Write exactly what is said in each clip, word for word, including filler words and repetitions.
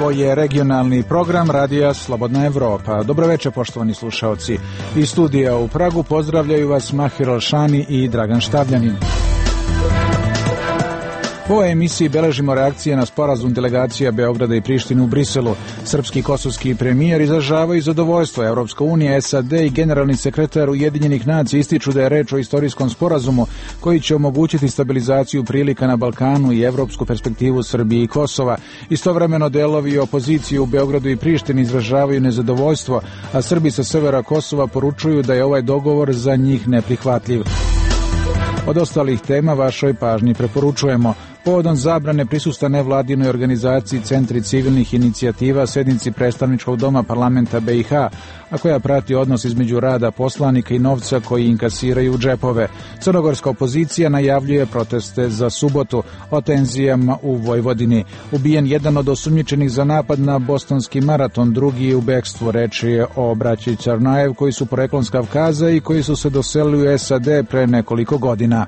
Ovo je regionalni program Radija Slobodna Evropa. Dobroveče, poštovani slušaoci. Iz studija u Pragu pozdravljaju vas Mahir Alšani i Dragan Štavljanin. U ovoj emisiji beležimo reakcije na sporazum delegacija Beograda i Prištine u Briselu. Srpski i kosovski premijer izražavaju zadovoljstvo. Evropska unija, S A D i generalni sekretar Ujedinjenih nacija ističu da je reč o istorijskom sporazumu koji će omogućiti stabilizaciju prilika na Balkanu i evropsku perspektivu Srbije i Kosova. Istovremeno delovi opozicije u Beogradu i Prištini izražavaju nezadovoljstvo, a Srbi sa severa Kosova poručuju da je ovaj dogovor za njih neprihvatljiv. Od ostalih tema vašoj pažnji preporučujemo. Povodom zabrane prisustva nevladinoj organizaciji Centri civilnih inicijativa sednici predstavničkog doma parlamenta B i H, a koja prati odnos između rada poslanika i novca koji inkasiraju u džepove. Crnogorska opozicija najavljuje proteste za subotu. O tenzijama u Vojvodini. Ubijen jedan od osumnjičenih za napad na bostonski maraton, drugi je u bekstvu. Reč je o braći Čarnajev koji su poreklom s Kavkaza i koji su se doselili u S A D pre nekoliko godina.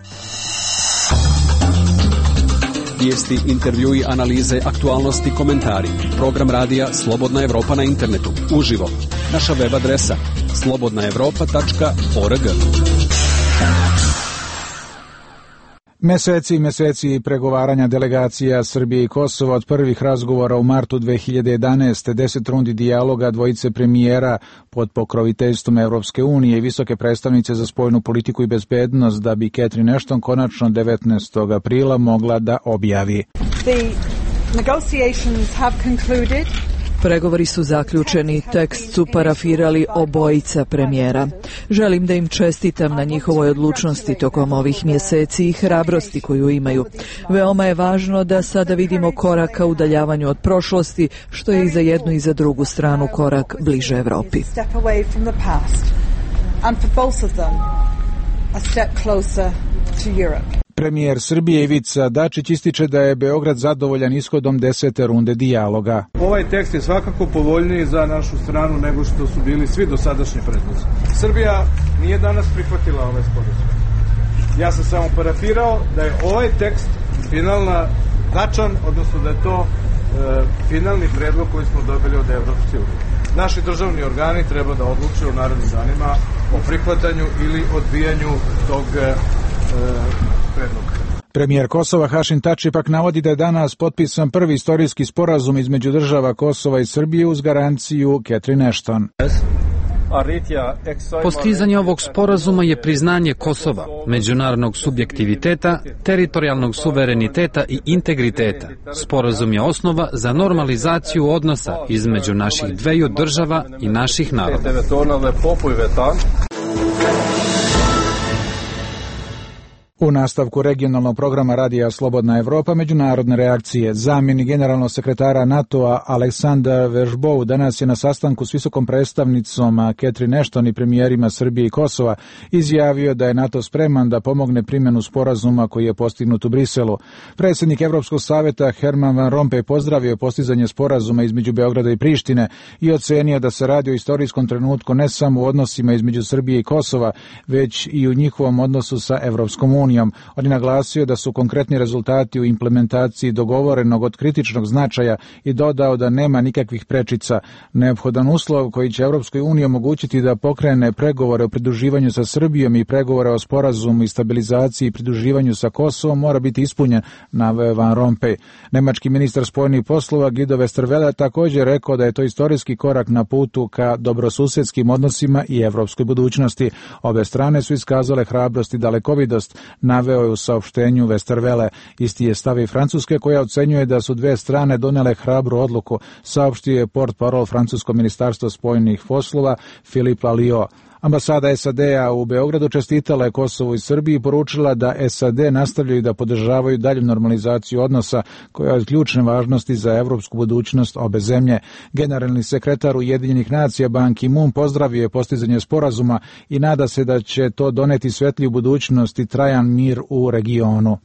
Vijesti, intervjui, analize, aktualnosti, komentari. Program radija Slobodna Evropa na internetu. Uživo. Naša web adresa slobodna evropa tačka org. Meseci i meseci pregovaranja delegacija Srbije i Kosova od prvih razgovora u martu dve hiljade jedanaeste. deset rundi dijaloga dvojice premijera pod pokroviteljstvom Evropske unije i visoke predstavnice za spoljnu politiku i bezbednost da bi Catherine Ashton konačno devetnaestog aprila mogla da objavi. The negotiations have concluded. Pregovori su zaključeni, tekst su parafirali obojica premijera. Želim da im čestitam na njihovoj odlučnosti tokom ovih mjeseci i hrabrosti koju imaju. Veoma je važno da sada vidimo korak ka udaljavanju od prošlosti, što je i za jednu i za drugu stranu korak bliže Evropi. Premijer Srbije Ivica Dačić ističe da je Beograd zadovoljan ishodom desete runde dijaloga. Ovaj tekst je svakako povoljniji za našu stranu nego što su bili svi dosadašnji predlozi. Srbija nije danas prihvatila ovaj sporazum. Ja sam samo parafirao da je ovaj tekst finalna tačan, odnosno da je to e, finalni predlog koji smo dobili od Evropske unije. Naši državni organi treba da odluče u narednim danima o prihvatanju ili odbijanju tog e, predloga. Premijer Kosova Hašim Tači pak navodi da je danas potpisan prvi istorijski sporazum između država Kosova i Srbije uz garanciju Catherine Ashton. Postizanje ovog sporazuma je priznanje Kosova, međunarodnog subjektiviteta, teritorijalnog suvereniteta i integriteta. Sporazum je osnova za normalizaciju odnosa između naših dveju država i naših naroda. U nastavku regionalnog programa Radija Slobodna Evropa međunarodne reakcije. Zamjenik generalnog sekretara NATO-a Aleksandar Vežbov danas je na sastanku s visokom predstavnicom Catherine Ashton i premijerima Srbije i Kosova izjavio da je NATO spreman da pomogne primjenu sporazuma koji je postignut u Briselu. Predsjednik Evropskog savjeta Herman Van Rompuy pozdravio postizanje sporazuma između Beograda i Prištine i ocenio da se radi o istorijskom trenutku ne samo u odnosima između Srbije i Kosova, već i u njihovom odnosu sa Evropskom unijom. On je naglasio da su konkretni rezultati u implementaciji dogovorenog od kritičnog značaja i dodao da nema nikakvih prečica. Neophodan uslov koji će Evropskoj uniji omogućiti da pokrene pregovore o pridruživanju sa Srbijom i pregovore o sporazumu i stabilizaciji i pridruživanju sa Kosovom mora biti ispunjen, naveo Van Rompuy. Nemački ministar spoljnih poslova Guido Westerwelle također rekao da je to istorijski korak na putu ka dobrosusedskim odnosima i evropskoj budućnosti. Obe strane su iskazale hrabrost i dalekovidost, naveo je u saopštenju Westerwelle. Isti je stav i Francuske koja ocenjuje da su dve strane donele hrabru odluku, saopštio je portparol francusko ministarstvo spoljnih poslova Philippe Lalliot. Ambasada S A D-a u Beogradu čestitala je Kosovu i Srbiji i poručila da S A D nastavljaju da podržavaju dalju normalizaciju odnosa koja je od ključne važnosti za evropsku budućnost obe zemlje. Generalni sekretar Ujedinjenih nacija Ban Ki-moon pozdravio je postizanje sporazuma i nada se da će to doneti svetliju budućnost i trajan mir u regionu.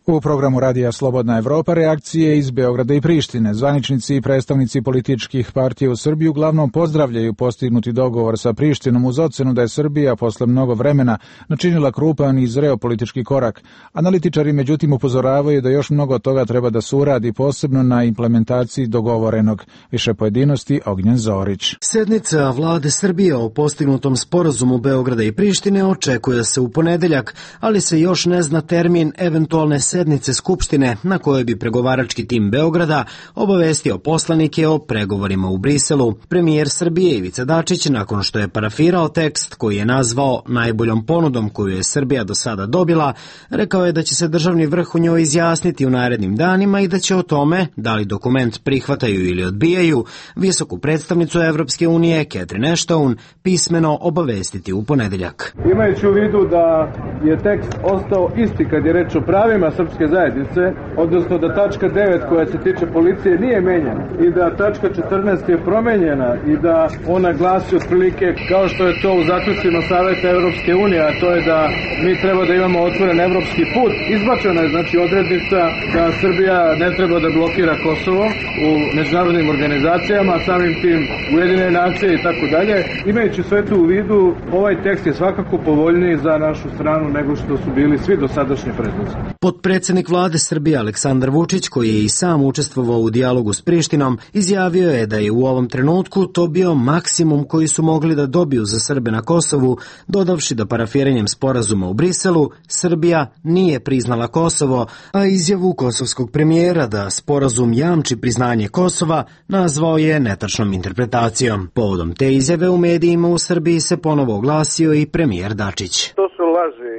U programu Radija Slobodna Evropa reakcije iz Beograda i Prištine. Zvaničnici i predstavnici političkih partija u Srbiji uglavnom pozdravljaju postignuti dogovor sa Prištinom uz ocenu da je Srbija posle mnogo vremena načinila krupan i zreo politički korak. Analitičari međutim upozoravaju da još mnogo toga treba da se uradi, posebno na implementaciji dogovorenog. Više pojedinosti Ognjen Zorić. Sednica vlade Srbije o postignutom sporazumu Beograda i Prištine očekuje se u ponedeljak, ali se još ne zna termin eventualne sednice Skupštine na kojoj bi pregovarački tim Beograda obavestio poslanike o pregovorima u Briselu. Premijer Srbije Ivica Dačić, nakon što je parafirao tekst koji je nazvao najboljom ponudom koju je Srbija do sada dobila, rekao je da će se državni vrh u njoj izjasniti u narednim danima i da će o tome, da li dokument prihvataju ili odbijaju, visoku predstavnicu Evropske unije Catherine Ashton pismeno obavestiti u ponedeljak. Imajući u vidu da je tekst ostao isti kad je reč o pravima srpske zajednice, odnosno da tačka devet koja se tiče policije nije menjena i da tačka četrnaest je promenjena i da ona glasi otprilike kao što je to u zaključcima Saveta Evropske unije, a to je da mi treba da imamo otvoren evropski put. Izbačena je znači odrednica da Srbija ne treba da blokira Kosovo u međunarodnim organizacijama, samim tim Ujedinjene nacije i tako dalje. Imajući sve to u vidu, ovaj tekst je svakako povoljniji za našu stranu nego što su bili svi dosadašnji predlozi. Potpredsednik vlade Srbije Aleksandar Vučić, koji je i sam učestvovao u dijalogu s Prištinom, izjavio je da je u ovom trenutku to bio maksimum koji su mogli da dobiju za Srbe na Kosovu, dodavši da parafiranjem sporazuma u Briselu Srbija nije priznala Kosovo, a izjavu kosovskog premijera da sporazum jamči priznanje Kosova nazvao je netačnom interpretacijom. Povodom te izjave u medijima u Srbiji se ponovo oglasio i premijer Dačić. To su laži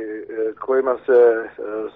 kojima se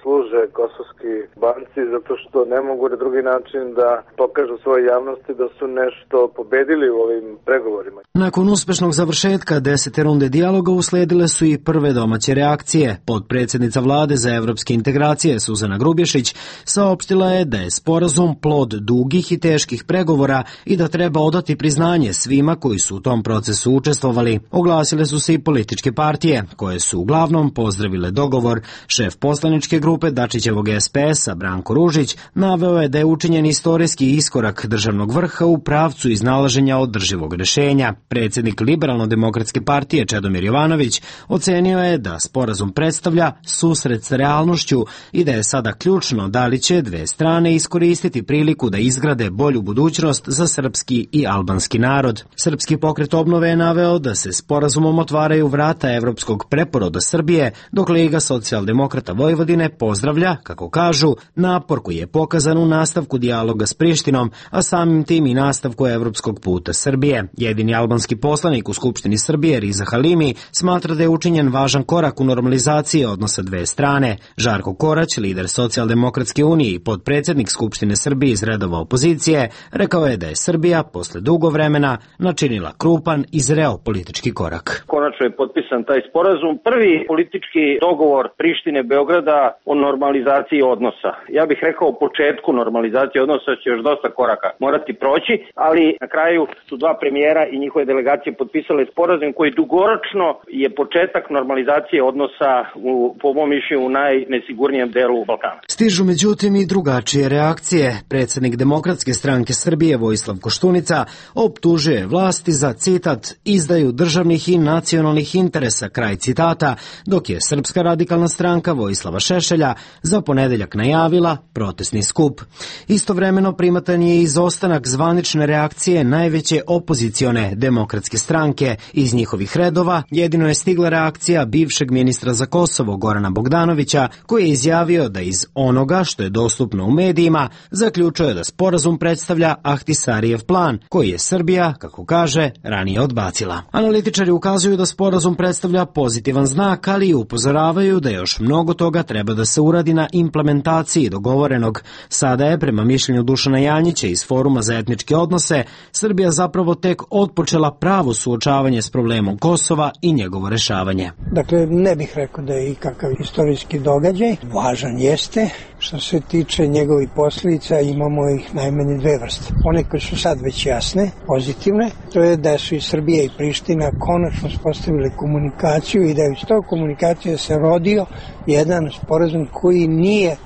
služe kosovski banci zato što ne mogu na drugi način da pokažu svoje javnosti da su nešto pobedili u ovim pregovorima. Nakon uspešnog završetka desete runde dijaloga usledile su i prve domaće reakcije. Potpredsednica vlade za evropske integracije Suzana Grubješić saopštila je da je sporazum plod dugih i teških pregovora i da treba odati priznanje svima koji su u tom procesu učestvovali. Oglasile su se i političke partije, koje su uglavnom pozdravile dogovor. Šef poslaničke grupe Dačićevog S P S-a Branko Ružić naveo je da je učinjen istorijski iskorak državnog vrha u pravcu iznalaženja održivog rešenja. Predsjednik Liberalno-demokratske partije Čedomir Jovanović ocenio je da sporazum predstavlja susret sa realnošću i da je sada ključno da li će dve strane iskoristiti priliku da izgrade bolju budućnost za srpski i albanski narod. Srpski pokret obnove je naveo da se sporazumom otvaraju vrata evropskog preporoda Srbije, dok Liga socijaldemokrata Vojvodine pozdravlja, kako kažu, napor koji je pokazan u nastavku dijaloga s Prištinom, a samim tim i nastavku evropskog puta Srbije. Jedini albanski poslanik u Skupštini Srbije, Riza Halimi, smatra da je učinjen važan korak u normalizaciji odnosa dve strane. Žarko Korać, lider Socijaldemokratske unije i potpredsjednik Skupštine Srbije iz redova opozicije, rekao je da je Srbija posle dugo vremena načinila krupan i zreo politički korak. Konačno je potpisan taj sporazum. Prvi politički dogovor Prištine Beograda o normalizaciji odnosa. Ja bih rekao o početku normalizacije odnosa će još dosta koraka morati proći, ali na kraju su dva premijera i njihove delegacije potpisale sporazum koji dugoročno je početak normalizacije odnosa u, po mom mišljenju, u najnesigurnijem delu Balkana. Stižu međutim i drugačije reakcije. Predsjednik Demokratske stranke Srbije Vojislav Koštunica optužuje vlasti za, citat, izdaju državnih i nacionalnih interesa, kraj citata, dok je Srpska radikalna stranka Vojislava Šešelja za ponedeljak najavila protestni skup. Istovremeno primatan je izostanak zvanične reakcije najveće opozicione Demokratske stranke. Iz njihovih redova jedino je stigla reakcija bivšeg ministra za Kosovo Gorana Bogdanovića, koji je izjavio da iz onoga što je dostupno u medijima zaključuje da sporazum predstavlja Ahtisarijev plan, koji je Srbija, kako kaže, ranije odbacila. Analitičari ukazuju da sporazum predstavlja pozitivan znak, ali i upozoravaju da još mnogo toga treba da se uradi na implementaciji dogovorenog. Sada je, prema mišljenju Dušana Janjića iz Foruma za etničke odnose, Srbija zapravo tek otpočela pravo suočavanje s problemom Kosova i njegovo rešavanje. Dakle, ne bih rekao da je ikakav istorijski događaj. Važan jeste. Što se tiče njegovih posljedica, imamo ih najmanje dve vrste. One koje su sad već jasne, pozitivne, to je da su i Srbija i Priština konačno uspostavile komunikaciju i da je iz tog komunikacije se rodio jedan sporazum koji nije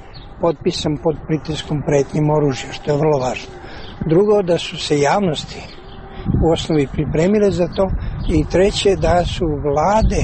potpisan pod pritiskom pretnjim oružja, što je vrlo važno. Drugo, da su se javnosti u osnovi pripremile za to i treće, da su vlade,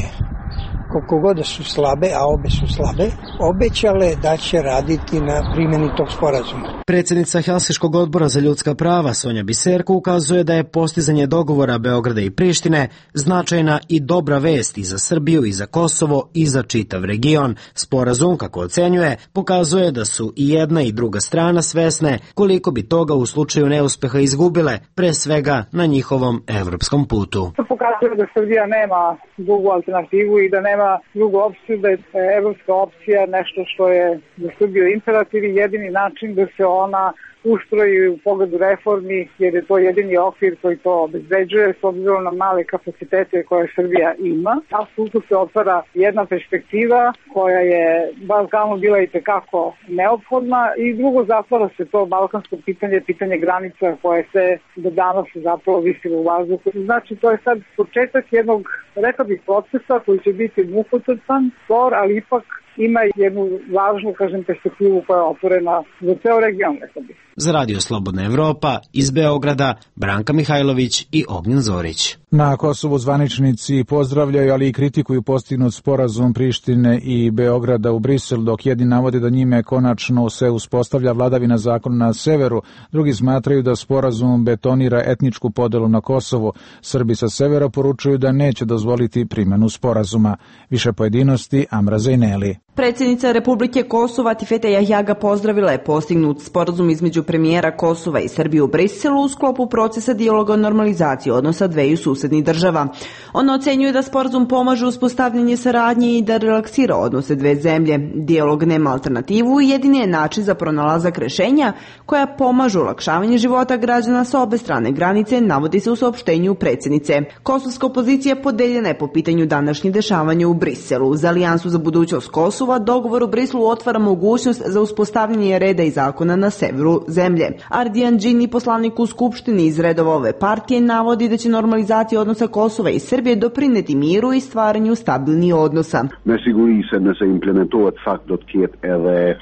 koliko god da su slabe, a obe su slabe, obećale da će raditi na primjeni tog sporazuma. Predsjednica Helsinškog odbora za ljudska prava Sonja Biserko ukazuje da je postizanje dogovora Beograda i Prištine značajna i dobra vest i za Srbiju i za Kosovo i za čitav region. Sporazum, kako ocenjuje, pokazuje da su i jedna i druga strana svesne koliko bi toga u slučaju neuspeha izgubile, pre svega na njihovom evropskom putu. To pokazuje da Srbija nema drugu alternativu i da nema drugu opciju, da je evropska opcija nešto što je za Srbiju imperativ i jedini način da se ona ustroji u pogledu reformi, jer je to jedini okvir koji to obezbeđuje s obzirom na male kapacitete koje Srbija ima. Apsolutno se otvara jedna perspektiva koja je Balkanu bila i tekako neophodna i drugo zatvara se to balkansko pitanje, pitanje granica koje se do danas zapravo visilo u vazduhu. Znači to je sad početak jednog, rekao bih, procesa koji će biti mukotrpan, spor, ali ipak ima jednu važnu, kažem, perspektivu koja je otvorena za ceo region, rekao bih. Za Radio Slobodna Evropa iz Beograda, Branka Mihajlović i Ognjen Zorić. Na Kosovu zvaničnici pozdravljaju, ali i kritikuju postignut sporazum Prištine i Beograda u Briselu, dok jedni navode da njime konačno se uspostavlja vladavina zakona na severu, drugi smatraju da sporazum betonira etničku podelu na Kosovu. Srbi sa severa poručuju da neće dozvoliti primjenu sporazuma. Više pojedinosti Amra Zejneli. Predsjednica Republike Kosova Tifete Jahjaga pozdravila je postignut sporazum između premijera Kosova i Srbije u Briselu u sklopu procesa dijaloga o normalizaciji odnosa dveju susednih država. Ona ocenjuje da sporazum pomaže uspostavljanje saradnje i da relaksira odnose dve zemlje. Dijalog nema alternativu i jedini je način za pronalazak rešenja koja pomažu olakšavanje života građana sa obe strane granice, navodi se u saopštenju predsjednice. Kosovska opozicija podeljena je po pitanju današnjih dešavanja u Briselu. Za Alijansu za budućnost Kosova dogovor u Briselu otvara mogućnost za uspostavljanje reda i zakona na severu zemlje. Ardijan Džini, poslanik u Skupštini iz redova ove partije, navodi da će normalizacija odnosa Kosova i Srbije doprineti miru i stvaranju stabilnih odnosa.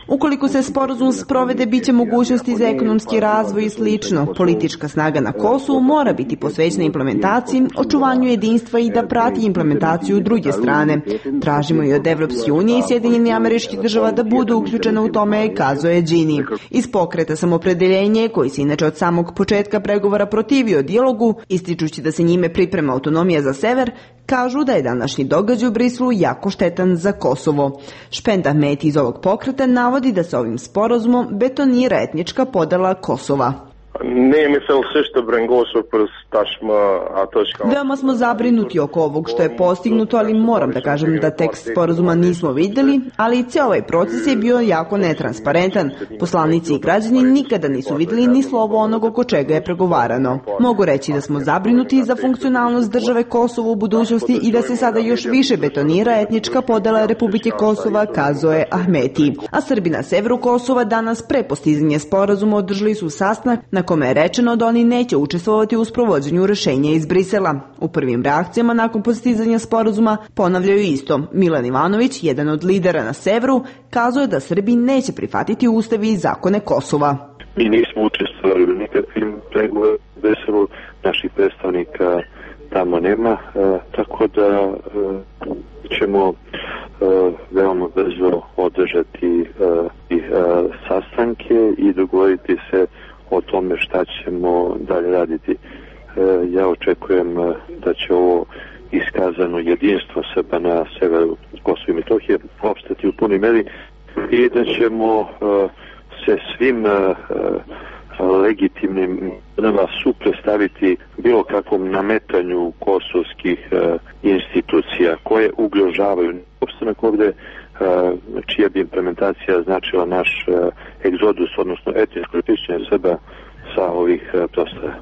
Ukoliko se sporazum sprovede, biće mogućnosti za ekonomski razvoj i slično. Politička snaga na Kosovu mora biti posvećena implementaciji, očuvanju jedinstva i da prati implementaciju druge strane. Tražimo i od Evropske unije i Sjedinjenih Američkih Država da budu uključene u tome, kazuje Džini. Iz pokreta Samopredeljenje, koji se inače od samog početka pregovora protivio dijalogu, ističući da se njime priprema autonomija za sever, kažu da je današnji događaj u Briselu jako štetan za Kosovo. Špend Ahmeti iz ovog pokreta navodi da se ovim sporazumom betonira etnička podela Kosova. Veoma smo zabrinuti oko ovog što je postignuto, ali moram da kažem da tekst sporazuma nismo vidjeli, ali i cijel ovaj proces je bio jako netransparentan. Poslanici i građani nikada nisu vidjeli ni slovo onog oko čega je pregovarano. Mogu reći da smo zabrinuti za funkcionalnost države Kosovo u budućnosti i da se sada još više betonira etnička podela Republike Kosova, kazuje Ahmeti. A Srbi na severu Kosova danas pre postizanja sporazuma održali su sastanak na kome je rečeno da oni neće učestvovati u sprovođenju rešenja iz Brisela. U prvim reakcijama nakon postizanja sporazuma ponavljaju isto. Milan Ivanović, jedan od lidera na severu, kazuje da Srbi neće prihvatiti ustavi i zakone Kosova. Mi nismo učestvovali u nikakvim pregovorima u Briselu, naših predstavnika tamo nema, e, tako da e, ćemo e, veoma brzo održati e, i e, sastanke i dogovoriti se o tome šta ćemo dalje raditi. E, ja očekujem da će ovo iskazano jedinstvo Srba na severu Kosova i Metohije opstati u punoj meri i da ćemo e, se svim e, legitimnim nama suprotstaviti bilo kakvom nametanju kosovskih e, institucija koje ugrožavaju opstanak ovde, čija bi implementacija značila naš egzodus, odnosno etničko čišćenje Srba sa ovih prostora.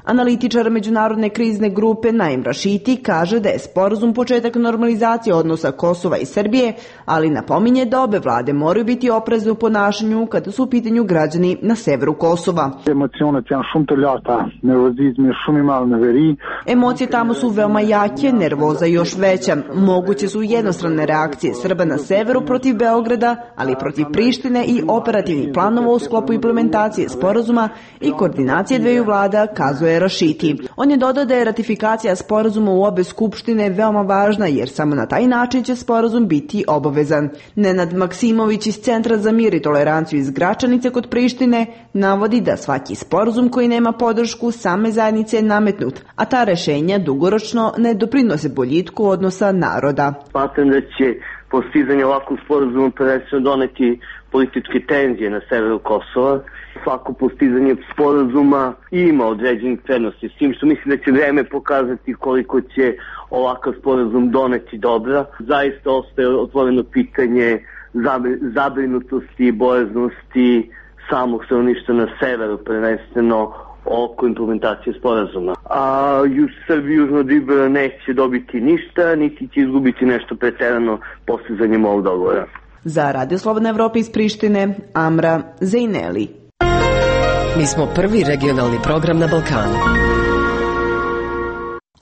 Analitičar međunarodne krizne grupe Naim Rašiti kaže da je sporazum početak normalizacije odnosa Kosova i Srbije, ali napominje da obe vlade moraju biti oprezne u ponašanju kada su u pitanju građani na severu Kosova. Emocije tamo su veoma jake, nervoza još veća. Moguće su jednostrane reakcije Srba na severu protiv Beograda, ali protiv Prištine i operativnih planova u sklopu implementacije sporazuma i koordinacije dveju vlada, kazuje Rašiti. On je dodao da je ratifikacija sporazuma u obe skupštine veoma važna, jer samo na taj način će sporazum biti obavezan. Nenad Maksimović iz Centra za mir i toleranciju iz Gračanice kod Prištine navodi da svaki sporazum koji nema podršku same zajednice je nametnut, a ta rešenja dugoročno ne doprinose boljitku odnosa naroda. Smatram da će postizanje ovakvog sporazuma prvenstveno doneti političke tenzije na severu Kosova. Svako postizanje sporazuma ima određenih prednosti, s tim što mislim da će vreme pokazati koliko će ovakav sporazum doneti dobra. Zaista ostaje otvoreno pitanje zabrinutosti i bojaznosti samog stanovništva na severu, prvenstveno oko implementacije sporazuma. A u Srbiji južno od Ibra neće dobiti ništa, niti će izgubiti nešto preterano postizanjem ovog dogovora. Za Radio Slobodna Evropa iz Prištine, Amra Zejneli. Mi smo prvi regionalni program na Balkanu.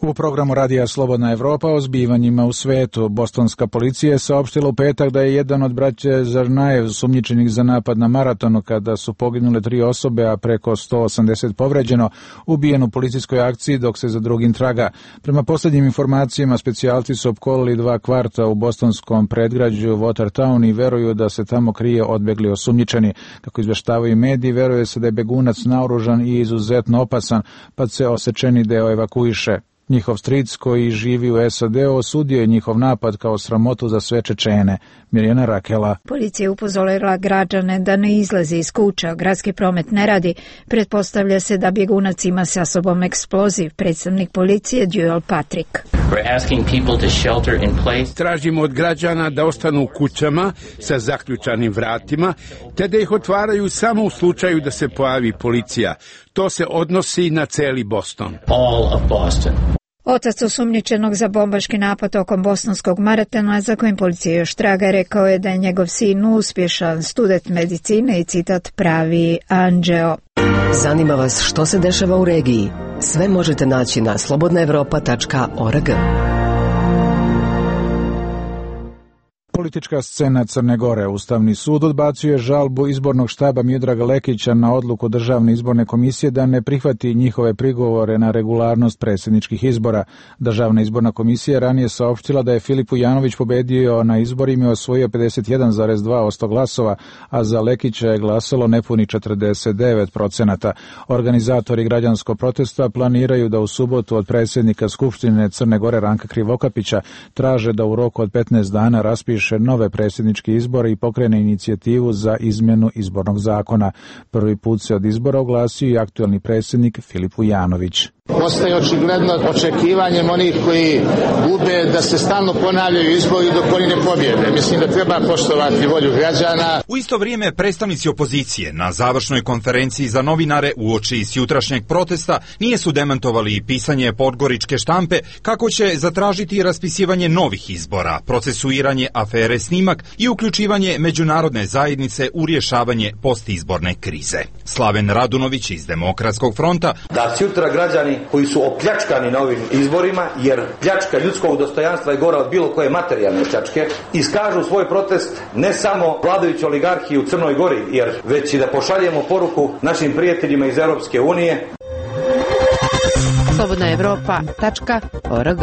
U programu Radija Slobodna Evropa o zbivanjima u svetu, bostonska policija je saopštila u petak da je jedan od braće Zarnajev sumnjičenih za napad na maratonu kada su poginule tri osobe, a preko sto osamdeset povređeno, ubijen u policijskoj akciji dok se za drugim traga. Prema posljednjim informacijama, specijalci su opkolili dva kvarta u bostonskom predgrađu Watertown i veruju da se tamo krije odbegli osumnjičeni. Kako izveštavaju mediji, veruje se da je begunac naoružan i izuzetno opasan, pa se osečeni deo evakuiše. Njihov stric koji živi u S A D osudio je njihov napad kao sramotu za sve Čečene. Mirjana Rakela. Policija je upozorila građane da ne izlaze iz kuća, gradski promet ne radi. Pretpostavlja se da bjegunac ima sa sobom eksploziv. Predstavnik policije Duel Patrick. Tražimo od građana da ostanu u kućama sa zaključanim vratima, te da ih otvaraju samo u slučaju da se pojavi policija. To se odnosi na celi Boston. All of Boston. Otac osumnjičenog za bombaški napad tokom bostonskog maratona, za kojim policija još traga, rekao je da je njegov sin uspješan student medicine i citat pravi anđeo. Zanima vas što se dešava u regiji? Sve možete naći na slobodna evropa tačka org. Politička scena Crne Gore. Ustavni sud odbacio je žalbu izbornog štaba Miodraga Lekića na odluku Državne izborne komisije da ne prihvati njihove prigovore na regularnost predsjedničkih izbora. Državna izborna komisija ranije saopštila da je Filip Vujanović pobedio na izborima i osvojio pedeset jedan zarez dva posto glasova, a za Lekića je glasalo nepuni četrdeset devet procenata. Organizatori građanskog protesta planiraju da u subotu od predsjednika Skupštine Crne Gore Ranka Krivokapića traže da u roku od petnaest dana raspiše nove predsjedničke izbore i pokrene inicijativu za izmjenu izbornog zakona. Prvi put se od izbora oglasio i aktuelni predsjednik Filip Vujanović. Postaje očigledno očekivanjem onih koji gube da se stalno ponavljaju izbori dok oni ne pobjede. Mislim da treba poštovati volju građana. U isto vrijeme predstavnici opozicije na završnoj konferenciji za novinare uoči s jutrašnjeg protesta nije su demantovali pisanje podgoričke štampe kako će zatražiti raspisivanje novih izbora, procesuiranje afere Snimak i uključivanje međunarodne zajednice u rješavanje postizborne krize. Slaven Radunović iz Demokratskog fronta. Da sutra građani koji su opljačkani na ovim izborima, jer pljačka ljudskog dostojanstva je gora od bilo koje materijalne pljačke, iskažu svoj protest ne samo vladajući oligarhiji u Crnoj Gori, jer već i da pošaljemo poruku našim prijateljima iz Europske unije. slobodna evropa tačka org.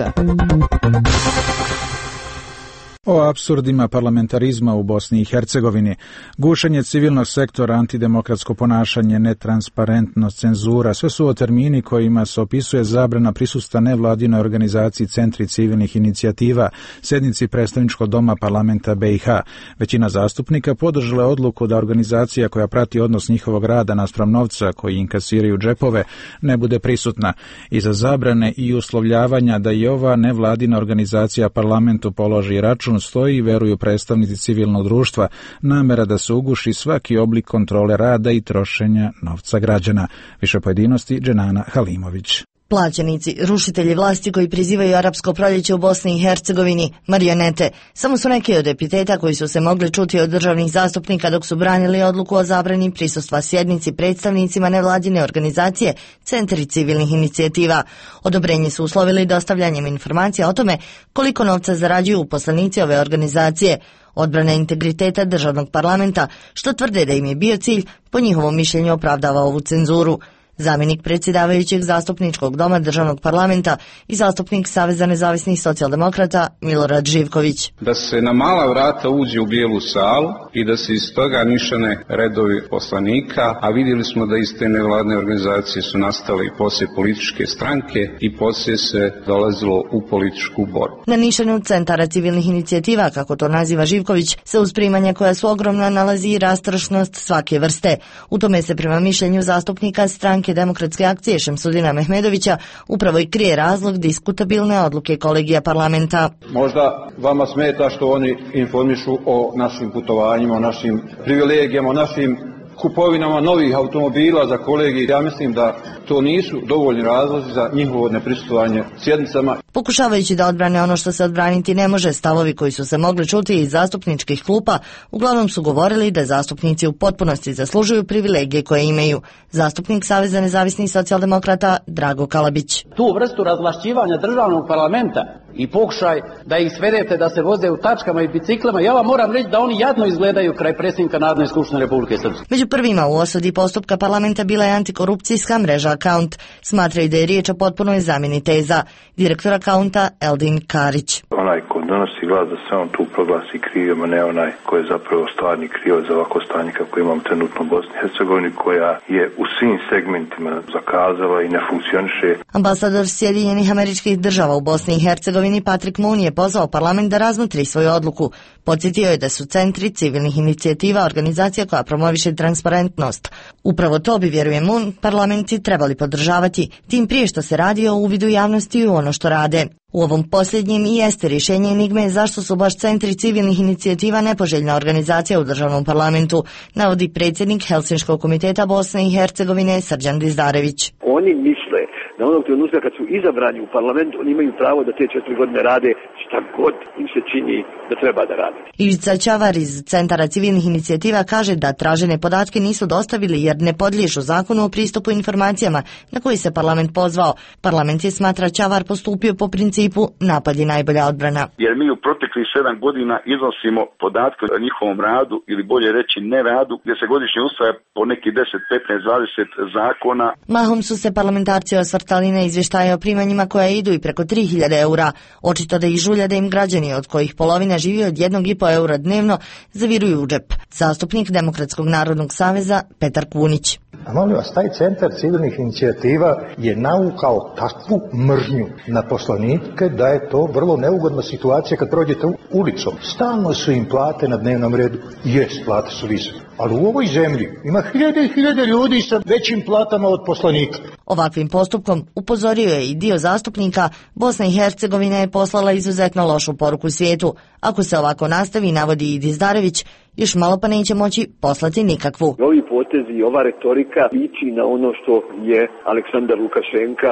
O apsurdima parlamentarizma u Bosni i Hercegovini, gušenje civilnog sektora, antidemokratsko ponašanje, netransparentnost, cenzura, sve su ovo termini kojima se opisuje zabrana prisustva nevladinoj organizaciji Centri civilnih inicijativa, sednici predstavničkog doma parlamenta B i H. Većina zastupnika podržala je odluku da organizacija koja prati odnos njihovog rada naspram novca koji inkasiraju džepove ne bude prisutna. Iza zabrane i uslovljavanja da i ova nevladina organizacija parlamentu položi račun zakonu stoji, veruju predstavnici civilnog društva, namera da se uguši svaki oblik kontrole rada i trošenja novca građana. Više pojedinosti Dženana Halimović. Plaćenici, rušitelji vlasti koji prizivaju arapsko proljeće u Bosni i Hercegovini, marionete, samo su neki od epiteta koji su se mogli čuti od državnih zastupnika dok su branili odluku o zabrani prisustva sjednici predstavnicima nevladine organizacije Centri civilnih inicijativa. Odobrenje su uslovili dostavljanjem informacija o tome koliko novca zarađuju uposlenici ove organizacije, odbrana integriteta državnog parlamenta, što tvrde da im je bio cilj, po njihovom mišljenju opravdava ovu cenzuru. Zamjenik predsjedavajućeg zastupničkog doma državnog parlamenta i zastupnik Saveza nezavisnih socijaldemokrata Milorad Živković. Da se na mala vrata uđe u bijelu salu i da se iz toga nišane redovi poslanika, a vidjeli smo da iz te nevladne organizacije su nastale i poslije političke stranke i poslije se dolazilo u političku borbu. Na nišanu centara civilnih inicijativa, kako to naziva Živković, se uz primanja koja su ogromna nalazi i rastrošnost svake vrste. U tome se prema mišljenju zastupnika stranke Demokratske akcije Šemsudina Mehmedovića upravo i krije razlog diskutabilne odluke kolegija parlamenta. Možda vama smeta što oni informišu o našim putovanjima, o našim privilegijama, o našim kupovinama novih automobila za kolegi. Ja mislim da to nisu dovoljni razlozi za njihovo neprisustvovanje sjednicama. Pokušavajući da odbrane ono što se odbraniti ne može, stavovi koji su se mogli čuti iz zastupničkih klupa uglavnom su govorili da zastupnici u potpunosti zaslužuju privilegije koje imaju. Zastupnik Saveza nezavisnih socijaldemokrata Drago Kalabić. Tu vrstu razvlašćivanja državnog parlamenta i pokušaj da ih svedete da se voze u tačkama i biciklama, ja vam moram reći da oni jadno izgledaju kraj predsjednika Narodne skupštine Republike Srpske. Među prvima u osudi postupka parlamenta bila je antikorupcijska mreža Account. Smatraju da je riječ o potpunoj zamjeni teza. Direktor Accounta Eldin Karić. Onaj ko donosi glas da se on tu proglasi krivim, a ne onaj ko je zapravo stvarni krivac za ovako stanje kako imam trenutno u Bosni i Hercegovini, koja je u svim segmentima zakazala i ne funkcioniše. Ambasador Sjedinjenih Američkih Država u Bosni i Hercegovini Patrick Moon je pozvao parlament da razmotri svoju odluku. Podsjetio je da su centri civilnih inicijativa organizacija koja promoviše transparentnost. Upravo to bi, vjeruje Moon, parlamenti trebali podržavati, tim prije što se radi o uvidu javnosti u ono što rade. U ovom posljednjem i jeste rješenje enigme zašto su baš centri civilnih inicijativa nepoželjna organizacija u državnom parlamentu, navodi predsjednik Helsinškog komiteta Bosne i Hercegovine Srđan Dizdarević. Oni misle da onog trenutka kad su izabrani u parlament, oni imaju pravo da te četiri godine rade šta god im se čini da treba da rade. Ivica Ćavar iz Centara civilnih inicijativa kaže da tražene podatke nisu dostavili jer ne podliježu zakonu o pristupu informacijama na koji se parlament pozvao. Parlament je, smatra Ćavar, postupio po principu napad je najbolja odbrana. Jer mi u proteklih sedam godina iznosimo podatke o njihovom radu ili bolje reći ne radu, gdje se godišnje usvaja po neki deset, petnaest, dvadeset zakona. Mahom su se parlamentarci osvrtali na izvještaje o primanjima koja idu i preko tri hiljade eura. Očito da ih žulja da im građani, od kojih polovina živi od jednog i po eura dnevno, zaviruju u džep. Zastupnik Demokratskog narodnog saveza Petar Kunić. A molim vas, taj centar civilnih inicijativa je naukao takvu mržnju na poslanike da je to vrlo neugodna situacija kad prođete ulicom. Stalno su im plate na dnevnom redu. Jest, plate su visoke. Ali u ovoj zemlji ima hiljade i hiljade ljudi sa većim platama od poslanika. Ovakvim postupkom, upozorio je i dio zastupnika, Bosna i Hercegovina je poslala izuzetno lošu poruku svijetu. Ako se ovako nastavi, navodi i Dizdarević, još malo pa neće moći poslati nikakvu. Ovi potezi i ova retorika liči na ono što je Aleksandar Lukašenka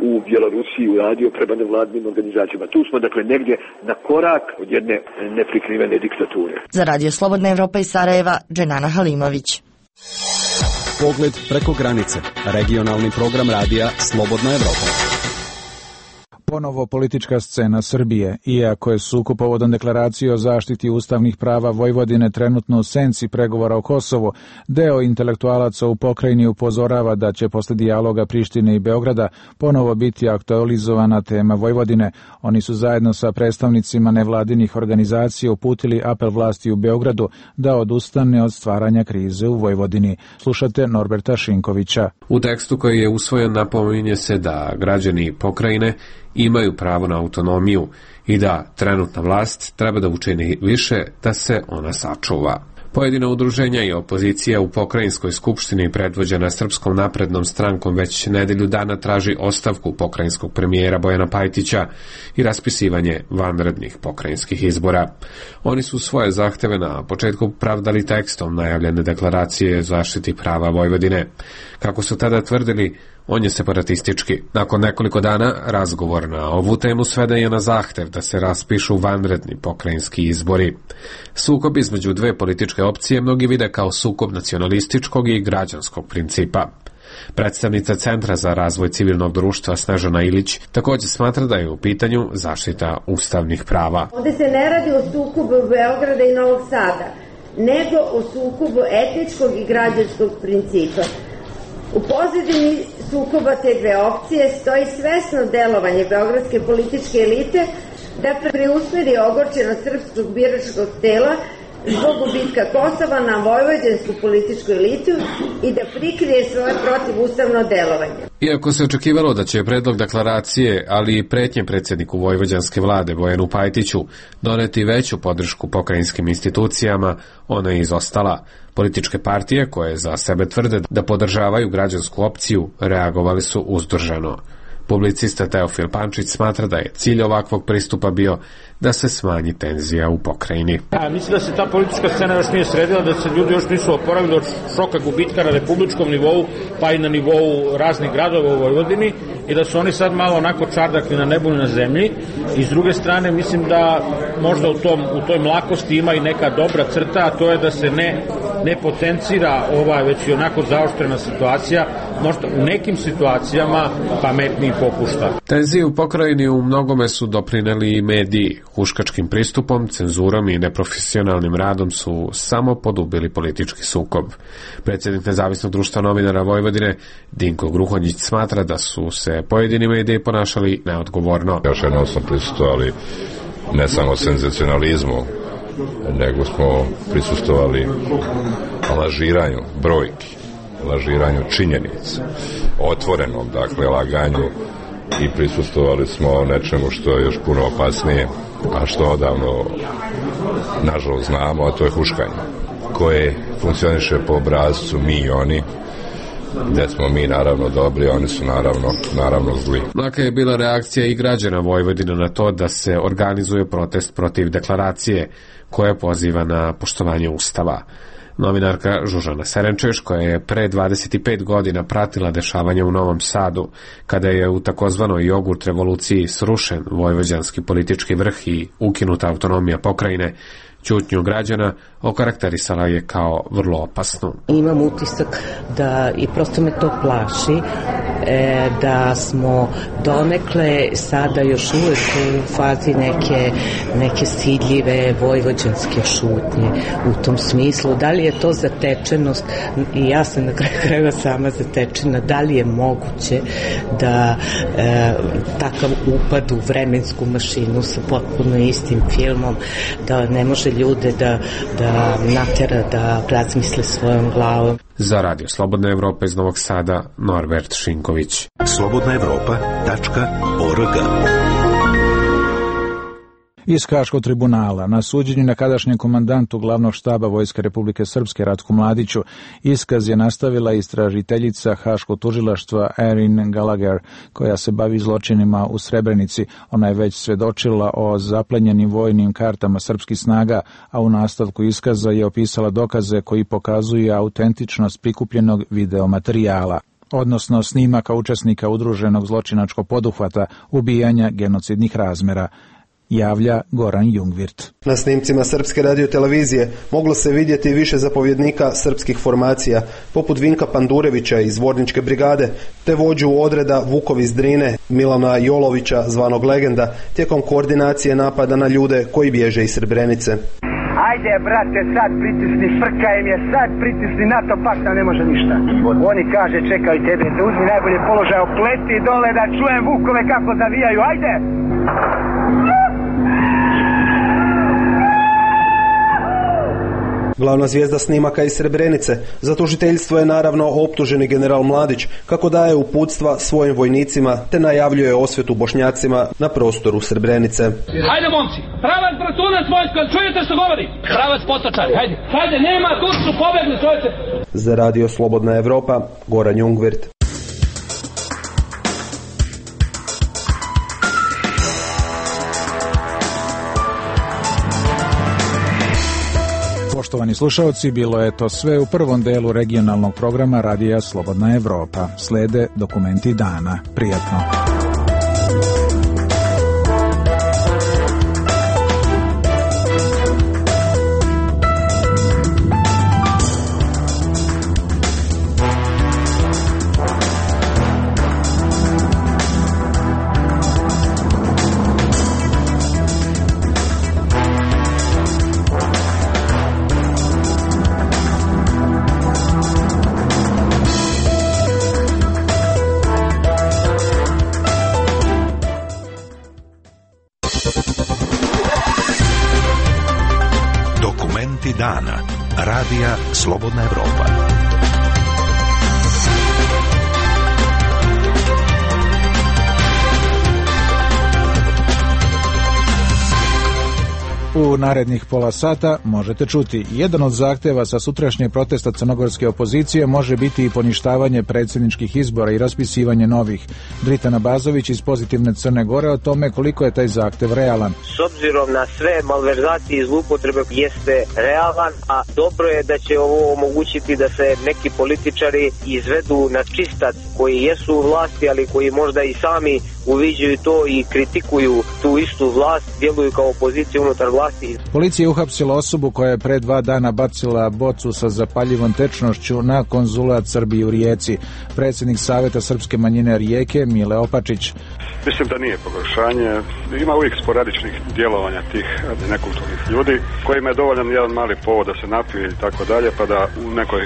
u Bjelorusiji uradio prema nevladnim organizacijama. Tu smo dakle negdje na korak od jedne neprikrivene diktature. Za Radio Slobodna Evropa iz Sarajeva, Dženana Halimović. Pogled preko granice. Regionalni program radija Slobodna Evropa. Ponovo politička scena Srbije. Iako je sukob povodom deklaracije o zaštiti ustavnih prava Vojvodine trenutno u senci pregovora o Kosovu, deo intelektualaca u pokrajini upozorava da će posle dijaloga Prištine i Beograda ponovo biti aktualizovana tema Vojvodine. Oni su zajedno sa predstavnicima nevladinih organizacija uputili apel vlasti u Beogradu da odustane od stvaranja krize u Vojvodini. Slušate Norberta Šinkovića. U tekstu koji je usvojen napominje se da građani pokrajine imaju pravo na autonomiju i da trenutna vlast treba da učini više da se ona sačuva. Pojedina udruženja i opozicija u pokrajinskoj skupštini predvođena Srpskom naprednom strankom već nedelju dana traži ostavku pokrajinskog premijera Bojana Pajtića i raspisivanje vanrednih pokrajinskih izbora. Oni su svoje zahteve na početku pravdali tekstom najavljene deklaracije zaštiti prava Vojvodine. Kako su tada tvrdili, on je separatistički. Nakon nekoliko dana razgovor na ovu temu sveden je na zahtev da se raspišu vanredni pokrajinski izbori. Sukob između dve političke opcije mnogi vide kao sukob nacionalističkog i građanskog principa. Predstavnica Centra za razvoj civilnog društva Snežana Ilić također smatra da je u pitanju zaštita ustavnih prava. Ovdje se ne radi o sukobu Beograda i Novog Sada, nego o sukobu etničkog i građanskog principa. U pozadini sukoba te dve opcije stoji svesno delovanje beogradske političke elite da preusmeri ogorčenost srpskog biračkog tela zbog gubitka Kosova na vojvođansku političku elitu i da prikrije svoje protivustavno delovanje. Iako se očekivalo da će predlog deklaracije, ali i pretnje predsjedniku vojvođanske vlade Bojanu Pajtiću doneti veću podršku pokrajinskim institucijama, ona je izostala. Političke partije, koje za sebe tvrde da podržavaju građansku opciju, reagovali su uzdržano. Publicista Teofil Pančić smatra da je cilj ovakvog pristupa bio da se smanji tenzija u pokrajini. Ja, mislim da se ta politička scena još nije sredila, da se ljudi još nisu oporavili od šoka gubitka na republičkom nivou, pa i na nivou raznih gradova u Vojvodini i da su oni sad malo onako čardakli na nebu i na zemlji. I s druge strane mislim da možda u, tom, u toj mlakosti ima i neka dobra crta, a to je da se ne, ne potencira ova već i onako zaoštrena situacija, možda u nekim situacijama pametniji popušta. Tenzije u pokrajini u mnogome su doprineli i mediji. Huškačkim pristupom, cenzurom i neprofesionalnim radom su samo podubili politički sukob. Predsjednik Nezavisnog društva novinara Vojvodine Dinko Gruhonjić smatra da su se pojedini mediji ponašali neodgovorno. Još jednom smo prisustovali ne samo senzacionalizmu, nego smo prisustovali lažiranju brojki, lažiranju činjenica, otvorenom, dakle, laganju i prisustovali smo nečemu što je još puno opasnije, a što odavno nažalost znamo, a to je huškanje, koje funkcioniše po obrazcu mi i oni, gde smo mi naravno dobri, oni su naravno, naravno zli. Mlaka je bila reakcija i građana Vojvodine na to da se organizuje protest protiv deklaracije koja poziva na poštovanje Ustava. Novinarka Žužana Serenčeš, koja je pre dvadeset pet godina pratila dešavanja u Novom Sadu, kada je u takozvanoj jogurt revoluciji srušen vojvođanski politički vrh i ukinuta autonomija pokrajine, ćutnju građana okarakterisala je kao vrlo opasnu. Imam utisak da, i prosto me to plaši, e, da smo donekle sada još uvijek u fazi neke, neke stidljive vojvođanske šutnje u tom smislu. Da li je to zatečenost, i ja sam na kraju krajeva sama zatečena, da li je moguće da e, takav upad u vremensku mašinu sa potpuno istim filmom, da ne može ljude da, da natera da razmisle svojom glavom. Za Radio Slobodna Evropa iz Novog Sada, Norbert Šinković. slobodna evropa tačka org. Iz Haškog tribunala na suđenju nekadašnjem komandantu glavnog štaba Vojske Republike Srpske Ratku Mladiću iskaz je nastavila istražiteljica Haškog tužilaštva Erin Gallagher, koja se bavi zločinima u Srebrenici. Ona je već svedočila o zaplenjenim vojnim kartama srpskih snaga, a u nastavku iskaza je opisala dokaze koji pokazuju autentičnost prikupljenog videomaterijala, odnosno snimaka učesnika udruženog zločinačkog poduhvata ubijanja genocidnih razmera, javlja Goran Jungvirt. Na snimcima Srpske radiotelevizije moglo se vidjeti više zapovjednika srpskih formacija, poput Vinka Pandurevića iz Vorničke brigade, te vođu odreda Vukov iz Drine, Milana Jolovića, zvanog Legenda, tijekom koordinacije napada na ljude koji bježe iz Srebrenice. Ajde, brate, sad pritisni, frkaj im je, sad pritisni, NATO pakta ne može ništa. Oni kaže, čekaj tebe, da uzmi najbolje položaj, opleti dole da čujem Vukove kako zavijaju, ajde! Glavna zvijezda snimaka iz Srebrenice. Za tužiteljstvo je naravno optuženi general Mladić, kako daje uputstva svojim vojnicima te najavljuje osvetu Bošnjacima na prostoru Srebrenice. Hajde momci, pravac bratunac vojsko, čujete što govori? Pravac potočari, hajde. Hajde, nema, tu su pobegli, čujete. Za radio Slobodna Evropa, Goran Jungvirt. Poštovani slušalci, bilo je to sve u prvom delu regionalnog programa Radija Slobodna Evropa. Slede dokumenti dana. Prijatno. Dana. Radija Slobodna Evropa. U narednih pola sata možete čuti: jedan od zahteva sa sutrašnje protesta crnogorske opozicije može biti i poništavanje predsjedničkih izbora i raspisivanje novih. Dritana Bazović iz Pozitivne Crne Gore o tome koliko je taj zahtev realan. S obzirom na sve malverzacije i zloupotrebe jeste realan, a dobro je da će ovo omogućiti da se neki političari izvedu na čistac koji jesu u vlasti, ali koji možda i sami uviđaju to i kritikuju tu istu vlast, djeluju kao opozicija unutar vlasti. Policija je uhapsila osobu koja je pre dva dana bacila bocu sa zapaljivom tečnošću na konzulat Srbije u Rijeci. Predsjednik Saveta srpske manjine Rijeke, Mile Opačić. Mislim da nije pogoršanje. Ima uvijek sporadičnih djelovanja tih nekulturnih ljudi kojima je dovoljan jedan mali povod da se napiju i tako dalje, pa da u nekoj,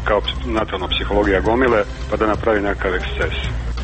kao natalna psihologija gomile, pa da napravi nekakav eksces.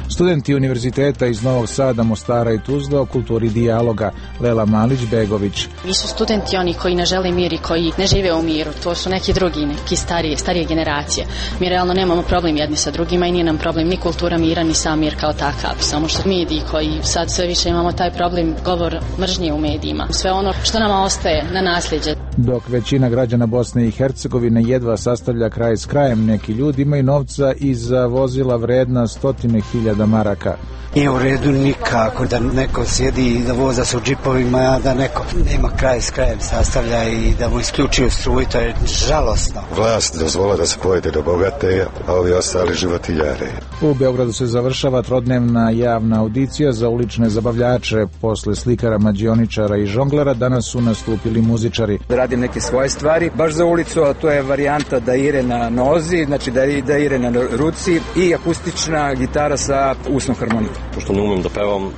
Studenti univerziteta iz Novog Sada, Mostara i Tuzle o kulturi dijaloga. Lela Malić-Begović. Nisu studenti oni koji ne žele mir i koji ne žive u miru. To su neki drugi, neki starije, starije generacije. Mi realno nemamo problem jedni sa drugima i nije nam problem ni kultura mira, ni sam mir kao takav. Samo što mediji koji sad sve više imamo taj problem govor mržnje u medijima. Sve ono što nama ostaje na nasljeđe. Dok većina građana Bosne i Hercegovine jedva sastavlja kraj s krajem, neki ljudi imaju novca i za vozila vredna stotine hiljada maraka. Nije u redu nikako da neko sjedi i da voza se u džipovima, a da neko nema kraj s krajem sastavlja i da mu isključuju struju, to je žalosno. Vlast dozvola da se pojede do bogate, a ovi ostali životiljare. U Beogradu se završava trodnevna javna audicija za ulične zabavljače. Posle slikara, mađioničara i žonglera danas su nastupili muzičari. Radim neke svoje stvari, baš za ulicu, a to je varijanta da ire na nozi, znači da, da ire na ruci i akustična gitara sa usnom harmonikom. Pošto ne umem da pevam uh,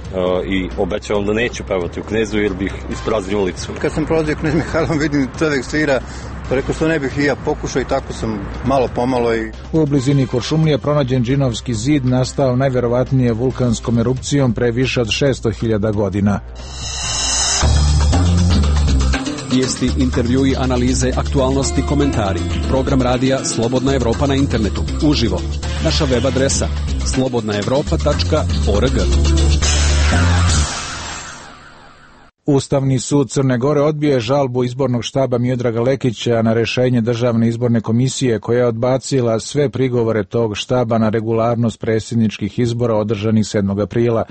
i obećavam da neću pevati u Knezu jer bih ispraznio ulicu. Kad sam prolazio Knez Mihajlom, vidim čovjek svira, pa rekao što ne bih i ja pokušao i tako sam malo pomalo. I... U blizini Kuršumlije pronađen Džinovski zid, nastao najverovatnije vulkanskom erupcijom pre više od šesto hiljada godina. Vijesti, intervjui, analize, aktualnosti, komentari. Program radija Slobodna Evropa na internetu. Uživo. Naša web adresa slobodna evropa tačka org. Ustavni sud Crne Gore odbio je žalbu izbornog štaba Miodraga Lekića na rešenje Državne izborne komisije koja je odbacila sve prigovore tog štaba na regularnost predsjedničkih izbora održanih sedmog aprila.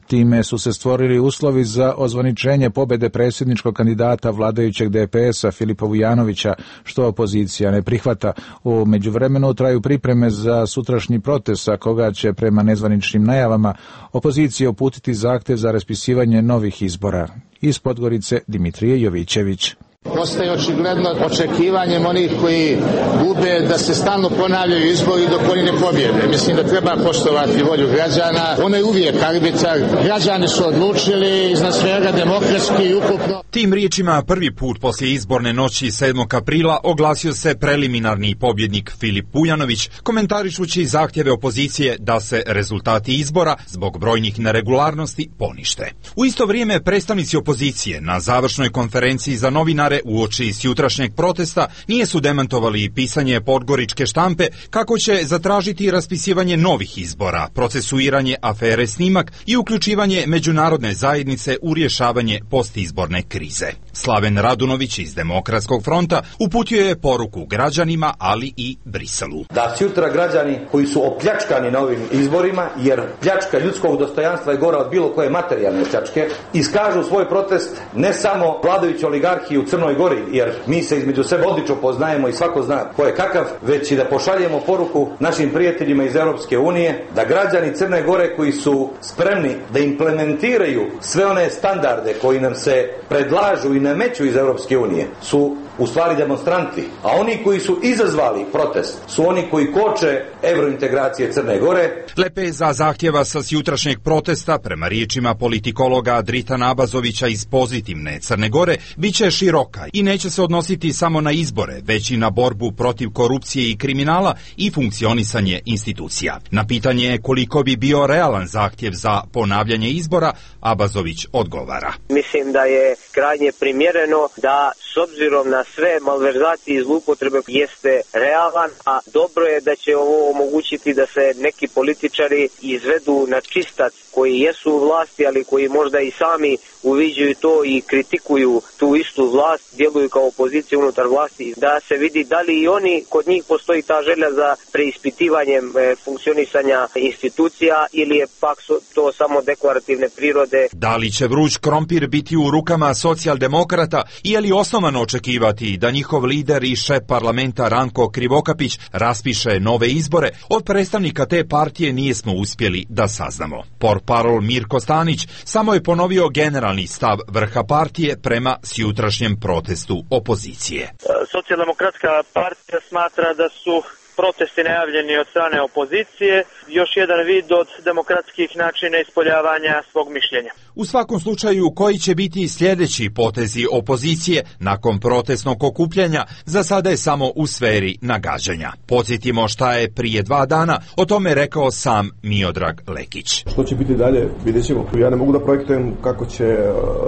Time su se stvorili uslovi za ozvaničenje pobede predsjedničkog kandidata vladajućeg D P S-a Filipa Vujanovića, što opozicija ne prihvata. U međuvremenu traju pripreme za sutrašnji protest, a koga će prema nezvaničnim najavama opozicija uputiti zahtev za raspisivanje novih izbora. Iz Podgorice Dimitrije Jovićević. Postaje očigledno očekivanjem onih koji gube da se stalno ponavljaju izbori dok oni ne pobjede. Mislim da treba poštovati volju građana. Ono je uvijek arbitar. Građani su odlučili iznad svega demokratski i ukupno. Tim riječima prvi put poslije izborne noći sedmog aprila oglasio se preliminarni pobjednik Filip Vujanović, komentarišući zahtjeve opozicije da se rezultati izbora zbog brojnih neregularnosti ponište. U isto vrijeme predstavnici opozicije na završnoj konferenciji za novinare komentare uoči jutrašnjeg protesta nije su demantovali pisanje podgoričke štampe kako će zatražiti raspisivanje novih izbora, procesuiranje afere Snimak i uključivanje međunarodne zajednice u rješavanje postizborne krize. Slaven Radunović iz Demokratskog fronta uputio je poruku građanima, ali i Briselu. Da sutra građani koji su opljačkani na ovim izborima, jer pljačka ljudskog dostojanstva je gora od bilo koje materijalne pljačke, iskažu svoj protest ne samo vladajući oligarhiji u Crnoj Gori, jer mi se između sebe odlično poznajemo i svako zna ko je kakav, već i da pošaljemo poruku našim prijateljima iz Europske unije da građani Crne Gore koji su spremni da implementiraju sve one standarde koji nam se predlažu i nameću iz Europske unije su u stvari demonstranti, a oni koji su izazvali protest su oni koji koče evrointegracije Crne Gore. Lepeza zahtjeva sa jutrašnjeg protesta, prema riječima politikologa Dritana Abazovića iz Pozitivne Crne Gore, bit će široka i neće se odnositi samo na izbore, već i na borbu protiv korupcije i kriminala i funkcionisanje institucija. Na pitanje koliko bi bio realan zahtjev za ponavljanje izbora, Abazović odgovara. Mislim da je krajnje primjereno da s obzirom na sve malverzacije i zloupotrebe jeste realan, a dobro je da će ovo omogućiti da se neki političari izvedu na čistac koji jesu u vlasti, ali koji možda i sami uviđaju to i kritikuju tu istu vlast, djeluju kao opozicija unutar vlasti, da se vidi da li i oni, kod njih postoji ta želja za preispitivanjem e, funkcionisanja institucija ili je pak to samo deklarativne prirode. Da li će vruć krompir biti u rukama socijaldemokrata i je li osnovano očekivati da njihov lider i šef parlamenta Ranko Krivokapić raspiše nove izbore, od predstavnika te partije nijesmo uspjeli da saznamo. Portparol Mirko Stanić samo je ponovio generalni stav vrha partije prema sjutrašnjem protestu opozicije. Socijaldemokratska partija smatra da su protesti najavljeni od strane opozicije još jedan vid od demokratskih načina ispoljavanja svog mišljenja. U svakom slučaju, koji će biti sljedeći potezi opozicije nakon protestnog okupljanja, za sada je samo u sferi nagađanja. Podsjetimo šta je prije dva dana o tome rekao sam Miodrag Lekić. Što će biti dalje, vidjet ćemo. Ja ne mogu da projektujem kako će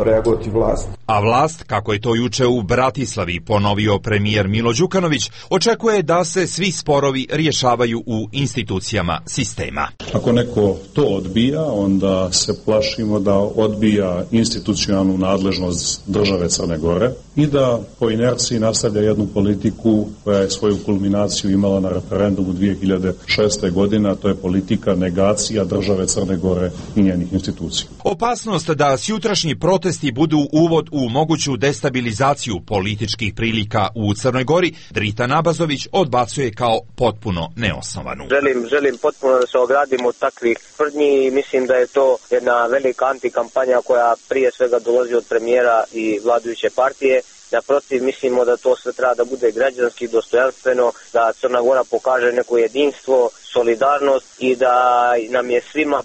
reagovati vlast. A vlast, kako je to juče u Bratislavi ponovio premijer Milo Đukanović, očekuje da se svi sporovi rješavaju u institucijama sistema. Ako neko to odbija, onda se plašimo da odbija institucionalnu nadležnost države Crne Gore i da po inerciji nastavlja jednu politiku koja je svoju kulminaciju imala na referendumu dvije hiljade šeste. godine, a to je politika negacija države Crne Gore i njenih institucija. Opasnost da sjutrašnji protesti budu uvod u moguću destabilizaciju političkih prilika u Crnoj Gori, Dritan Abazović odbacuje kao potpuno neosnovanu. Želim, želim potpuno da se ogradim od takvih tvrdnji i mislim da je to jedna velika antikampanja koja prije svega dolazi od premijera i vladajuće partije. Naprotiv, mislimo da to sve treba da bude građanski, dostojanstveno, da Crna Gora pokaže neko jedinstvo, solidarnost i da nam je svima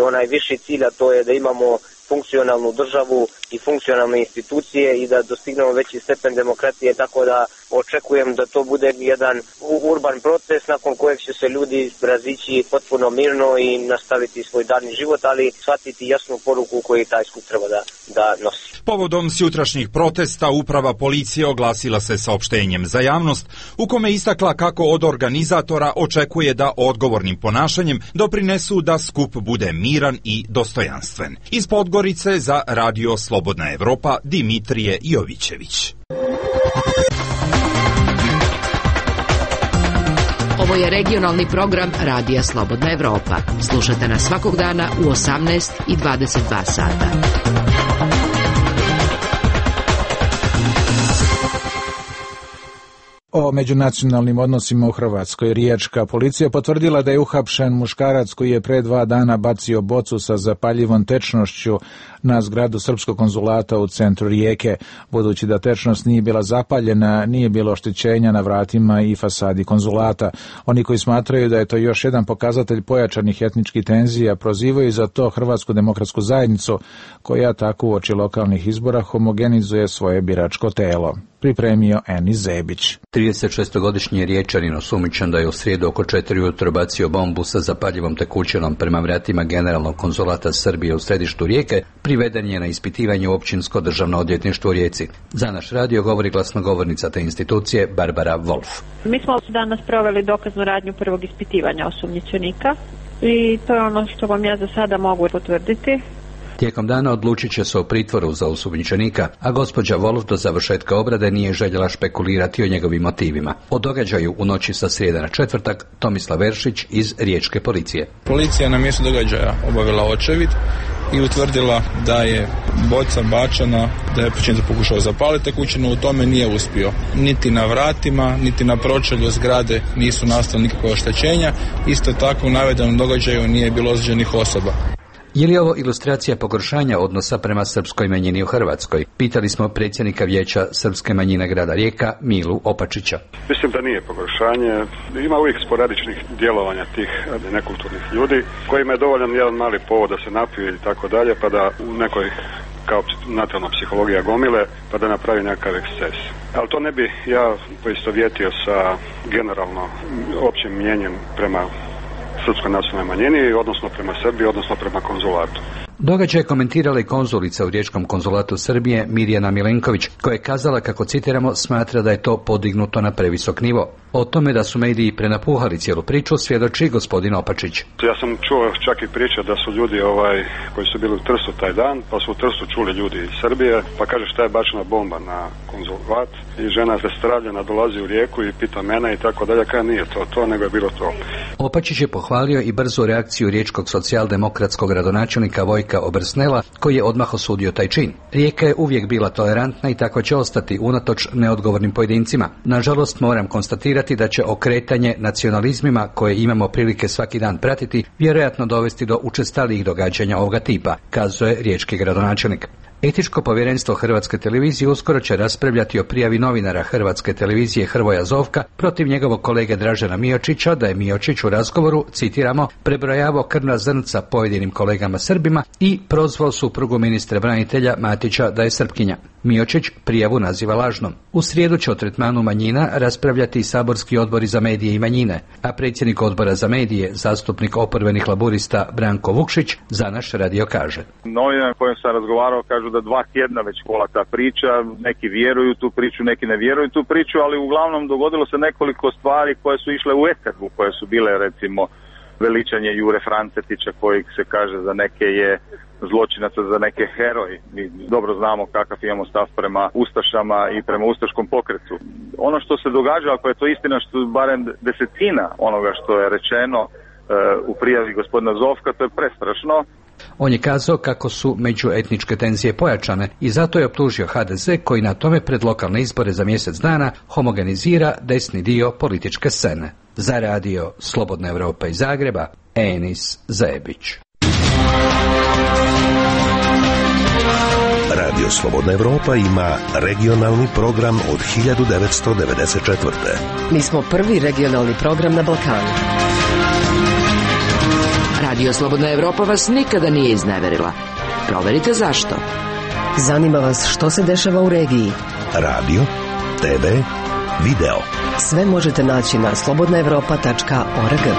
onaj viši cilj, a to je da imamo funkcionalnu državu i funkcionalne institucije i da dostignemo veći stepen demokratije, tako da očekujem da to bude jedan urban proces nakon kojeg će se ljudi razići potpuno mirno i nastaviti svoj dalji život, ali shvatiti jasnu poruku koju taj skup treba da, da nosi. Povodom sjutrašnjih protesta uprava policije oglasila se saopštenjem za javnost u kome istakla kako od organizatora očekuje da odgovornim ponašanjem doprinesu da skup bude miran i dostojanstven. Iz Podgorice za Radio Slobodna Evropa Dimitrije Jovićević. Ovo je regionalni program Radija Slobodna Evropa. Slušajte nas svakog dana u osamnaest i dvadeset dva sata. O međunacionalnim odnosima u Hrvatskoj riječka policija potvrdila da je uhapšen muškarac koji je pre dva dana bacio bocu sa zapaljivom tečnošću na zgradu srpskog konzulata u centru Rijeke. Budući da tečnost nije bila zapaljena, nije bilo oštećenja na vratima i fasadi konzulata. Oni koji smatraju da je to još jedan pokazatelj pojačanih etničkih tenzija prozivaju za to Hrvatsku demokratsku zajednicu, koja tako uoči lokalnih izbora homogenizuje svoje biračko telo. Pripremio Eni Zebić. tridesetšestogodišnji Riječanin osumnjičen da je u srijedu oko četiri ujutro bacio bombu sa zapaljivom tekućinom prema vratima generalnog konzulata Srbije u središtu Rijeke, priveden je na ispitivanje u općinsko državno odvjetništvo u Rijeci. Za naš radio govori glasnogovornica te institucije Barbara Wolf. Mi smo danas proveli dokaznu radnju prvog ispitivanja osumnjičenika i to je ono što vam ja za sada mogu potvrditi. Tijekom dana odlučit će se o pritvoru za osumnjičenika, a gospođa Wolf do završetka obrade nije željela špekulirati o njegovim motivima. O događaju u noći sa srijede na četvrtak Tomislav Veršić iz Riječke policije. Policija na mjestu događaja obavila očevid i utvrdila da je boca bačena, da je počinitelj pokušao zapaliti kuću, no u tome nije uspio. Niti na vratima, niti na pročelju zgrade nisu nastala nikakva oštećenja. Isto tako u navedenom događaju nije bilo ozlijeđenih osoba. Je li ovo ilustracija pogoršanja odnosa prema srpskoj manjini u Hrvatskoj? Pitali smo predsjednika vijeća srpske manjine grada Rijeka, Milu Opačića. Mislim da nije pogoršanje. Ima uvijek sporadičnih djelovanja tih nekulturnih ljudi kojima je dovoljan jedan mali povod da se napiju i tako dalje, pa da u nekoj kao natalna psihologija gomile, pa da napravi nekakav eksces. Ali to ne bi ja poistovjetio sa generalno općim mnjenjem prema srpskoj nacionalnoj manjini, odnosno prema Srbiji, odnosno prema konzulatu. Događaj je komentirala i konzulica u Riječkom konzulatu Srbije Mirjana Milenković, koja je kazala, kako citiramo, smatra da je to podignuto na previsok nivo. O tome da su mediji prenapuhali cijelu priču svjedoči gospodin Opačić. Ja sam čuo čak i priče da su ljudi ovaj, koji su bili u Trstu taj dan, pa su u Trstu čuli ljudi iz Srbije, pa kaže šta je bačena bomba na konzulat i žena zastravljena dolazi u Rijeku i pita mene i tako dalje, kaj nije to to, nego je bilo to. Opačić je pohvalio i brzu reakciju riječkog socijaldemokratskog gradonačelnika Vojka Obrsnela, koji je odmah osudio taj čin. Rijeka je uvijek bila tolerantna i tako će ostati unatoč neodgovornim pojedincima. Nažalost, moram konstatirati da će okretanje nacionalizmima koje imamo prilike svaki dan pratiti vjerojatno dovesti do učestalijih događanja ovoga tipa, kazuje riječki gradonačelnik. Etičko povjerenstvo Hrvatske televizije uskoro će raspravljati o prijavi novinara Hrvatske televizije Hrvoja Zovka protiv njegovog kolege Dražena Miočića da je Miočić u razgovoru, citiramo, prebrojavao krvna zrnca pojedinim kolegama Srbima i prozvao suprugu ministra branitelja Matića da je Srpkinja. Miočić prijavu naziva lažnom. U srijedu će o tretmanu manjina raspravljati i saborski odbori za medije i manjine, a predsjednik odbora za medije, zastupnik oporbenih laburista Branko Vukšić, za naš radio kaže. Novinari kojim sam razgovarao kažu da dva tjedna već kola ta priča, neki vjeruju tu priču, neki ne vjeruju tu priču, ali uglavnom dogodilo se nekoliko stvari koje su išle u eterbu, koje su bile recimo veličanje Jure Francetića koji se kaže za neke je zločinaca, za neke heroj. Mi dobro znamo kakav imamo stav prema ustašama i prema ustaškom pokretu. Ono što se događa, ako je to istina, što barem desetina onoga što je rečeno e, u prijavi gospodina Zovka, to je prestrašno. On je kazao kako su međuetničke tenzije pojačane i zato je optužio ha de ze koji na tome pred lokalne izbore za mjesec dana homogenizira desni dio političke scene. Za radio Slobodna Evropa iz Zagreba, Enis Zebić. Radio Slobodna Evropa ima regionalni program od hiljadu devetsto devedeset četvrte. Mi smo prvi regionalni program na Balkanu. Radio Slobodna Evropa vas nikada nije izneverila. Proverite zašto. Zanima vas što se dešava u regiji. Radio, te ve, video. Sve možete naći na slobodna evropa tačka org.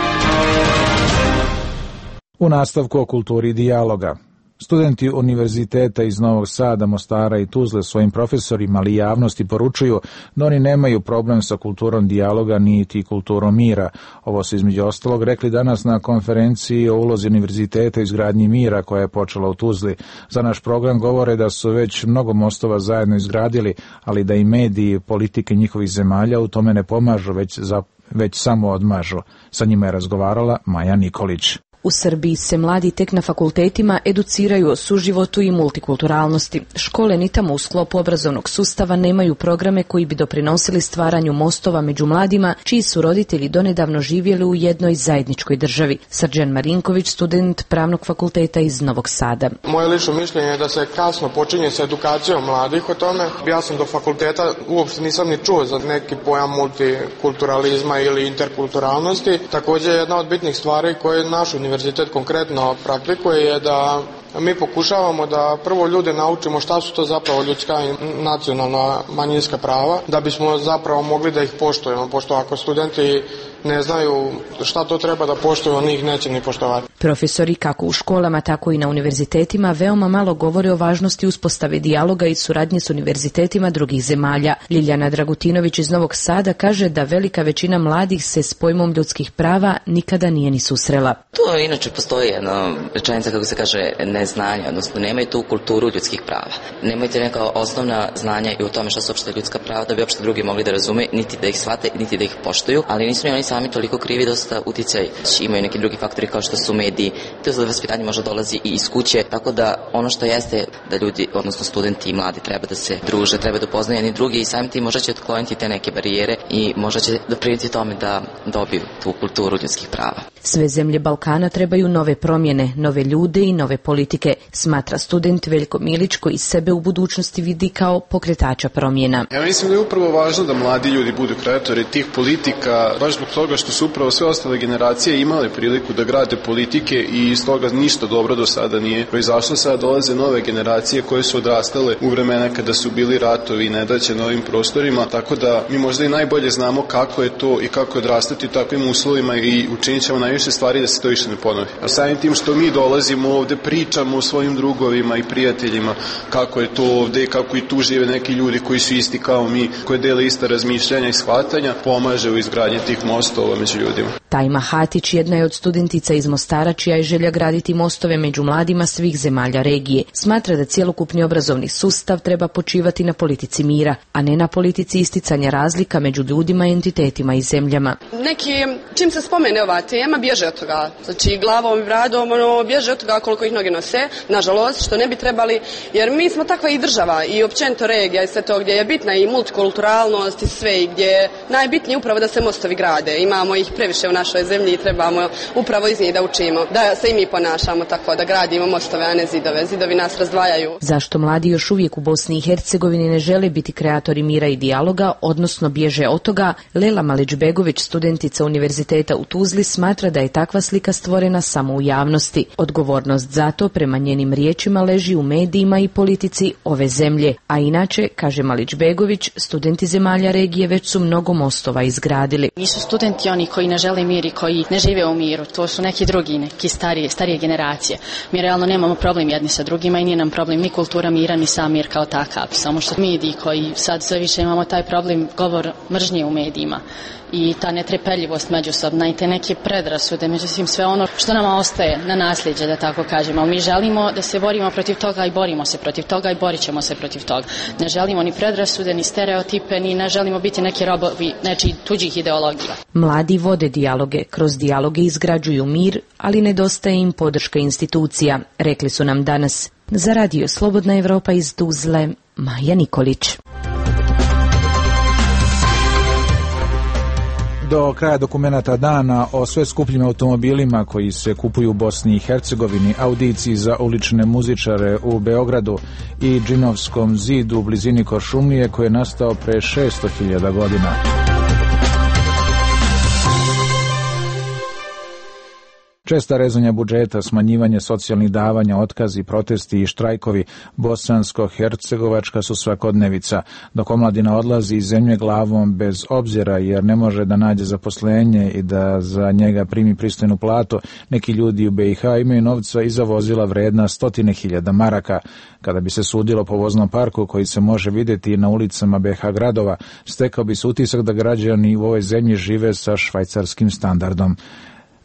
U nastavku o kulturi dijaloga. Studenti univerziteta iz Novog Sada, Mostara i Tuzle svojim profesorima ali javnosti poručuju da oni nemaju problem sa kulturom dijaloga niti kulturom mira. Ovo su između ostalog rekli danas na konferenciji o ulozi univerziteta u izgradnji mira koja je počela u Tuzli. Za naš program govore da su već mnogo mostova zajedno izgradili, ali da i mediji i politike njihovih zemalja u tome ne pomažu, već, za, već samo odmažu. Sa njima je razgovarala Maja Nikolić. U Srbiji se mladi tek na fakultetima educiraju o suživotu i multikulturalnosti. Škole ni tamo u sklopu obrazovnog sustava nemaju programe koji bi doprinosili stvaranju mostova među mladima, čiji su roditelji donedavno živjeli u jednoj zajedničkoj državi. Srđan Marinković, student Pravnog fakulteta iz Novog Sada. Moje lično mišljenje je da se kasno počinje sa edukacijom mladih o tome. Ja sam do fakulteta uopšte nisam ni čuo za neki pojam multikulturalizma ili interkulturalnosti. Također jedna od bitnih stvari koje naš univerzitet konkretno praktikuje je da mi pokušavamo da prvo ljude naučimo šta su to zapravo ljudska i nacionalna manjinska prava, da bismo zapravo mogli da ih poštujemo, pošto ako studenti ne znaju šta to treba da poštuju, oni ih neće ni poštovati. Profesori kako u školama, tako i na univerzitetima veoma malo govore o važnosti uspostave dijaloga i suradnje s univerzitetima drugih zemalja. Ljiljana Dragutinović iz Novog Sada kaže da velika većina mladih se s pojmom ljudskih prava nikada nije ni susrela. To inače postoji jedna rečenica, kako se kaže, neznanje, odnosno nemaju tu kulturu ljudskih prava. Nemaju te neka osnovna znanja i u tome što su uopšte ljudska prava, da bi uopšte drugi mogli da razume, niti da ih shvate, niti da ih poštuju, ali nisu ni oni sami toliko krivi, dosta uticaj. Imaju neki drugi faktori kao što su mediji, to za vaspitanje možda dolazi i iz kuće, tako da ono što jeste da ljudi, odnosno studenti i mladi treba da se druže, treba da upoznaju jedni drugi i samim tim možda će otkloniti te neke barijere i možda će doprinijeti tome da dobiju tu kulturu ljudskih prava. Sve zemlje Balkana trebaju nove promjene, nove ljude i nove politike, smatra student Veljko Milić koji sebe u budućnosti vidi kao pokretača promjena. Ja mislim da je upravo važno da mladi ljudi budu kreatori tih politika, baš zbog toga što su upravo sve ostale generacije imale priliku da grade politike i iz toga ništa dobro do sada nije proizašlo. Sada dolaze nove generacije koje su odrastale u vremena kada su bili ratovi i nedaće na ovim prostorima, tako da mi možda i najbolje znamo kako je to i kako je odrastati u takvim uslovima i učinit ćemo najviše stvari da se to više ne ponovi. A samim tim što mi dolazimo ovde, pričamo o svojim drugovima i prijateljima kako je to ovde i kako i tu žive neki ljudi koji su isti kao mi, koji dele ista razmišljanja i shvatanja, pomaže u izgradnji tih mostova među ljudima. Tajma Hatić jedna je od studentica iz Mostara čija je želja graditi mostove među mladima svih zemalja regije. Smatra da cjelokupni obrazovni sustav treba počivati na politici mira, a ne na politici isticanja razlika među ljudima i entitetima i zemljama. Neki, čim se spomene ova tema, bježe od toga. Znači, glavom i bradom, ono, bježe od toga koliko ih noge nose, nažalost, što ne bi trebali, jer mi smo takva i država i općenito regija i sve to gdje je bitna i multikulturalnost i sve i gdje je najbitnije upravo da se mostovi grade. Imamo ih previše u našoj zemlji i trebamo upravo iz njih da učimo, da se i mi ponašamo tako, da gradimo mostove, a ne zidove. Zidovi nas razdvajaju. Zašto mladi još uvijek u Bosni i Hercegovini ne žele biti kreatori mira i dijaloga, odnosno bježe od toga, Lela Malić-Begović, studentica Univerziteta u Tuzli, smatra da je takva slika stvorena samo u javnosti. Odgovornost za to, prema njenim riječima, leži u medijima i politici ove zemlje. A inače, kaže Malić-Begović, studenti zemalja regije već su mnogo mostova izgradili. Nisu studenti oni koji ne žele mir i koji ne žive u miru, to su neki drugi, neki starije, starije generacije. Mi realno nemamo problem jedni sa drugima i nije nam problem ni kultura mira, ni sam mir kao takav. Samo što mediji koji sad sve više imamo taj problem govor mržnje u medijima i ta netrpeljivost međusobna i te neke predrasude, međutim sve ono što nama ostaje na nasljeđe, da tako kažemo. Mi želimo da se borimo protiv toga i borimo se protiv toga i borit ćemo se protiv toga. Ne želimo ni predrasude, ni stereotipe, ni ne želimo biti neki robovi nečiji tuđih ideologija. Mladi vode dijaloge, kroz dijaloge izgrađuju mir, ali nedostaje im podrška institucija, rekli su nam danas. Za radio Slobodna Evropa iz Tuzle, Maja Nikolić. Do kraja dokumenata dana o sve skupljim automobilima koji se kupuju u Bosni i Hercegovini, audiciji za ulične muzičare u Beogradu i Džinovskom zidu u blizini Koršumlije koji je nastao pre šesto hiljada godina. Česta rezanja budžeta, smanjivanje socijalnih davanja, otkazi, protesti i štrajkovi bosansko-hercegovačka su svakodnevica, dok omladina odlazi iz zemlje glavom bez obzira jer ne može da nađe zaposlenje i da za njega primi pristojnu platu. Neki ljudi u be i ha imaju novca i za vozila vredna stotine hiljada maraka. Kada bi se sudilo po voznom parku koji se može vidjeti na ulicama be ha gradova, stekao bi se utisak da građani u ovoj zemlji žive sa švajcarskim standardom.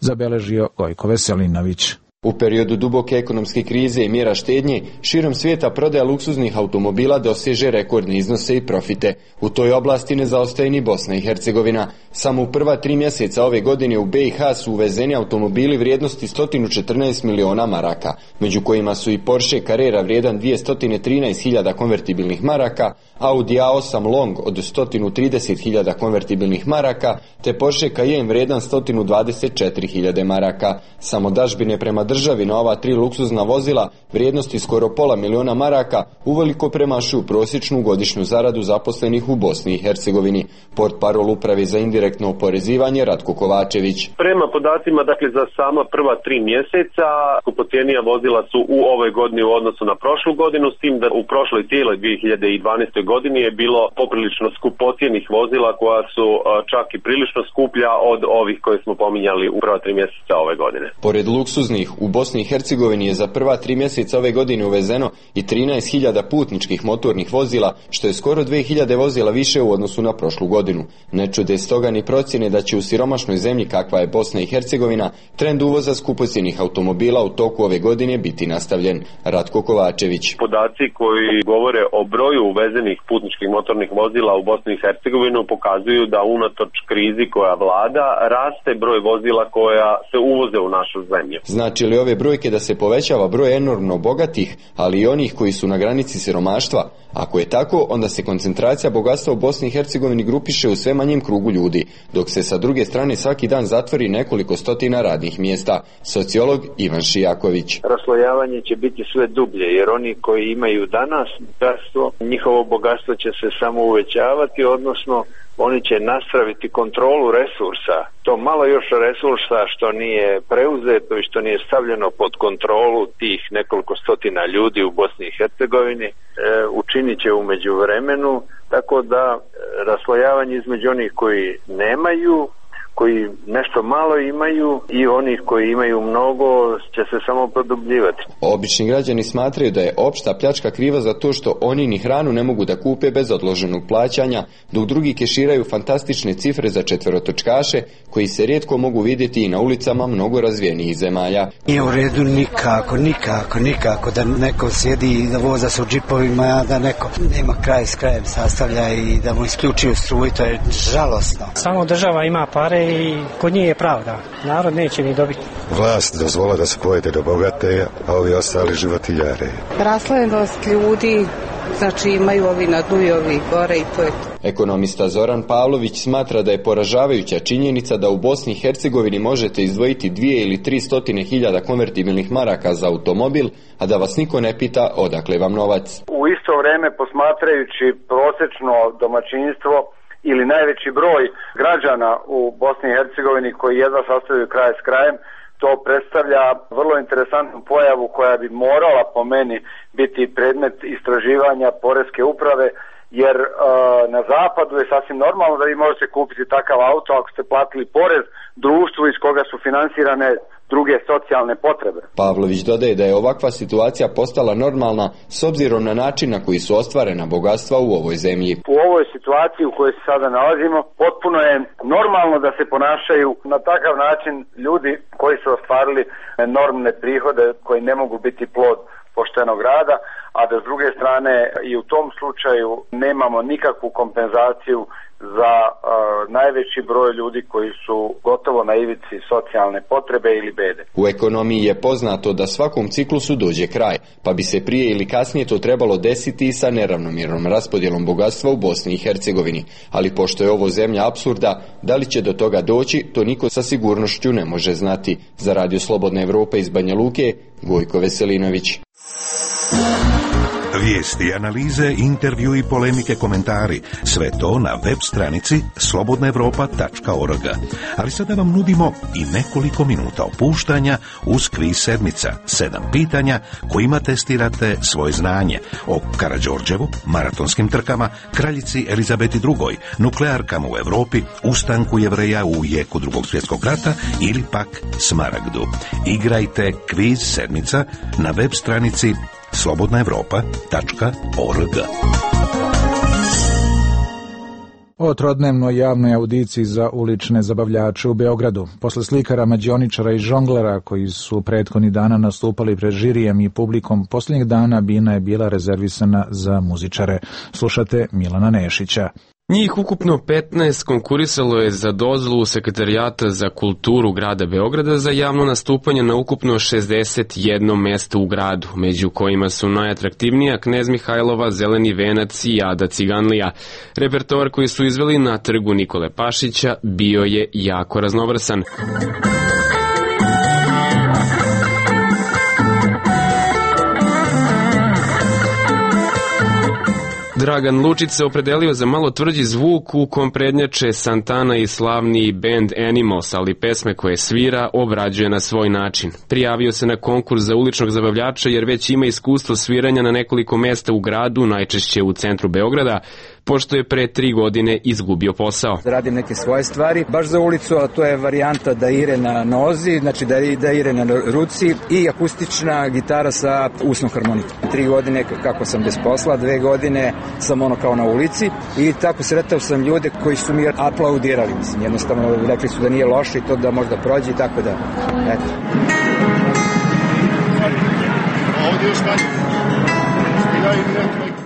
Zabeležio Gojko Veselinović. U periodu duboke ekonomske krize i mjera štednje, širom svijeta prodaja luksuznih automobila doseže rekordne iznose i profite. U toj oblasti ne zaostaje ni Bosna i Hercegovina. Samo u prva tri mjeseca ove godine u be i ha su uvezeni automobili vrijednosti sto četrnaest miliona maraka, među kojima su i Porsche Carrera vrijedan dvjesto trinaest hiljada konvertibilnih maraka, Audi a osam Long od sto trideset hiljada konvertibilnih maraka, te Porsche Cayenne vrijedan sto dvadeset četiri hiljade maraka. Samo dažbine prema državi na ova tri luksuzna vozila vrijednosti skoro pola miliona maraka uveliko premašuju prosječnu godišnju zaradu zaposlenih u Bosni i Hercegovini. Portparol Uprave za indirektno oporezivanje Ratko Kovačević. Prema podacima, dakle, za sama prva tri mjeseca skupocjenija vozila su u ovoj godini u odnosu na prošlu godinu, s tim da u prošloj cijeloj dvije hiljade dvanaestoj godini je bilo poprilično skupocjenih vozila koja su čak i prilično skuplja od ovih koje smo pominjali u prva tri mjeseca ove godine. Pored luksuznih, u Bosni i Hercegovini je za prva tri mjeseca ove godine uvezeno i trinaest hiljada putničkih motornih vozila, što je skoro dvije hiljade vozila više u odnosu na prošlu godinu. Ne čude stoga ni procjene da će u siromašnoj zemlji kakva je Bosna i Hercegovina trend uvoza skupocjenih automobila u toku ove godine biti nastavljen. Ratko Kovačević. Podaci koji govore o broju uvezenih putničkih motornih vozila u Bosni i Hercegovinu pokazuju da unatoč krizi koja vlada raste broj vozila koja se uvoze u našu zemlju. Znači li ove brojke da se povećava broj enormno bogatih, ali i onih koji su na granici siromaštva? Ako je tako, onda se koncentracija bogatstva u Bosni i Hercegovini grupiše u sve manjem krugu ljudi, dok se sa druge strane svaki dan zatvori nekoliko stotina radnih mjesta. Sociolog Ivan Šijaković. Raslojavanje će biti sve dublje, jer oni koji imaju danas bogatstvo, njihovo bogatstvo će se samo uvećavati, odnosno oni će nastaviti kontrolu resursa. To malo još resursa što nije preuzeto i što nije stavljeno pod kontrolu tih nekoliko stotina ljudi u Bosni i Hercegovini e, učinit će u međuvremenu, tako da e, raslojavanje između onih koji nemaju, koji nešto malo imaju i onih koji imaju mnogo će se samo produbljivati. Obični građani smatraju da je opšta pljačka kriva za to što oni ni hranu ne mogu da kupe bez odloženog plaćanja, dok drugi keširaju fantastične cifre za četverotočkaše koji se rijetko mogu vidjeti i na ulicama mnogo razvijenijih zemalja. Nije u redu nikako, nikako, nikako da neko sjedi i da voza se u džipovima, da neko nema kraj s krajem sastavlja i da mu isključuju struju, to je žalosno. Samo država ima pare i kod njih je pravda. Narod neće ni dobiti. Vlast dozvola da se pojede do bogate, a ovi ostali životiljare. Raslojenost ljudi, znači imaju ovi na dnu i ovi gore i to je to. Ekonomista Zoran Pavlović smatra da je poražavajuća činjenica da u Bosni i Hercegovini možete izdvojiti dvije ili tri stotine hiljada konvertibilnih maraka za automobil, a da vas niko ne pita odakle vam novac. U isto vrijeme, posmatrajući prosječno domaćinstvo ili najveći broj građana u Bosni i Hercegovini koji jedva sastavljaju kraj s krajem, to predstavlja vrlo interesantnu pojavu koja bi morala po meni biti predmet istraživanja poreske uprave, jer uh, na zapadu je sasvim normalno da vi možete kupiti takav auto ako ste platili porez društvu iz koga su finansirane druge socijalne potrebe. Pavlović dodaje da je ovakva situacija postala normalna s obzirom na način na koji su ostvarena bogatstva u ovoj zemlji. U ovoj situaciji u kojoj se sada nalazimo, potpuno je normalno da se ponašaju na takav način ljudi koji su ostvarili enormne prihode koji ne mogu biti plod poštenog rada, a da s druge strane i u tom slučaju nemamo nikakvu kompenzaciju za uh, najveći broj ljudi koji su gotovo na ivici socijalne potrebe ili bede. U ekonomiji je poznato da svakom ciklusu dođe kraj, pa bi se prije ili kasnije to trebalo desiti i sa neravnomjernom raspodjelom bogatstva u Bosni i Hercegovini. Ali pošto je ovo zemlja apsurda, da li će do toga doći, to niko sa sigurnošću ne može znati. Za Radio Slobodna Evropa iz Banja Luke, Gojko Veselinović. Vijesti, analize, intervju i polemike, komentari, sve to na web stranici slobodna evropa tačka org. Ali sada vam nudimo i nekoliko minuta opuštanja uz kviz sedmica, sedam pitanja kojima testirate svoje znanje o Karađorđevu, maratonskim trkama, kraljici Elizabeti drugoj, nuklearkama u Evropi, ustanku Jevreja u jeku drugog svjetskog rata ili pak Smaragdu. Igrajte kviz sedmica na web stranici slobodna evropa tačka org. O trodnevnoj javnoj audiciji za ulične zabavljače u Beogradu. Posle slikara, mađioničara i žonglera koji su prethodnih dana nastupali pred žirijem i publikom, posljednjih dana bina je bila rezervisana za muzičare. Slušate Milana Nešića. Njih ukupno petnaest konkurisalo je za dozvolu Sekretarijata za kulturu grada Beograda za javno nastupanje na ukupno šezdeset jedno mesto u gradu, među kojima su najatraktivnija Knez Mihajlova, Zeleni venac i Ada Ciganlija. Repertoar koji su izveli na trgu Nikole Pašića bio je jako raznovrsan. Dragan Lučić se opredelio za malo tvrđi zvuk u kom prednjače Santana i slavni band Animals, ali pesme koje svira obrađuje na svoj način. Prijavio se na konkurs za uličnog zabavljača jer već ima iskustvo sviranja na nekoliko mesta u gradu, najčešće u centru Beograda, pošto je pre tri godine izgubio posao. Radim neke svoje stvari, baš za ulicu, a to je varijanta da ire na nozi, znači da, da ire na ruci i akustična gitara sa usnom harmonikom. Tri godine kako sam bez posla, dve godine sam ono kao na ulici i tako sretao sam ljude koji su mi aplaudirali. Mislim, jednostavno rekli su da nije loše i to da možda prođe i tako da, eto. Ovdje još kad?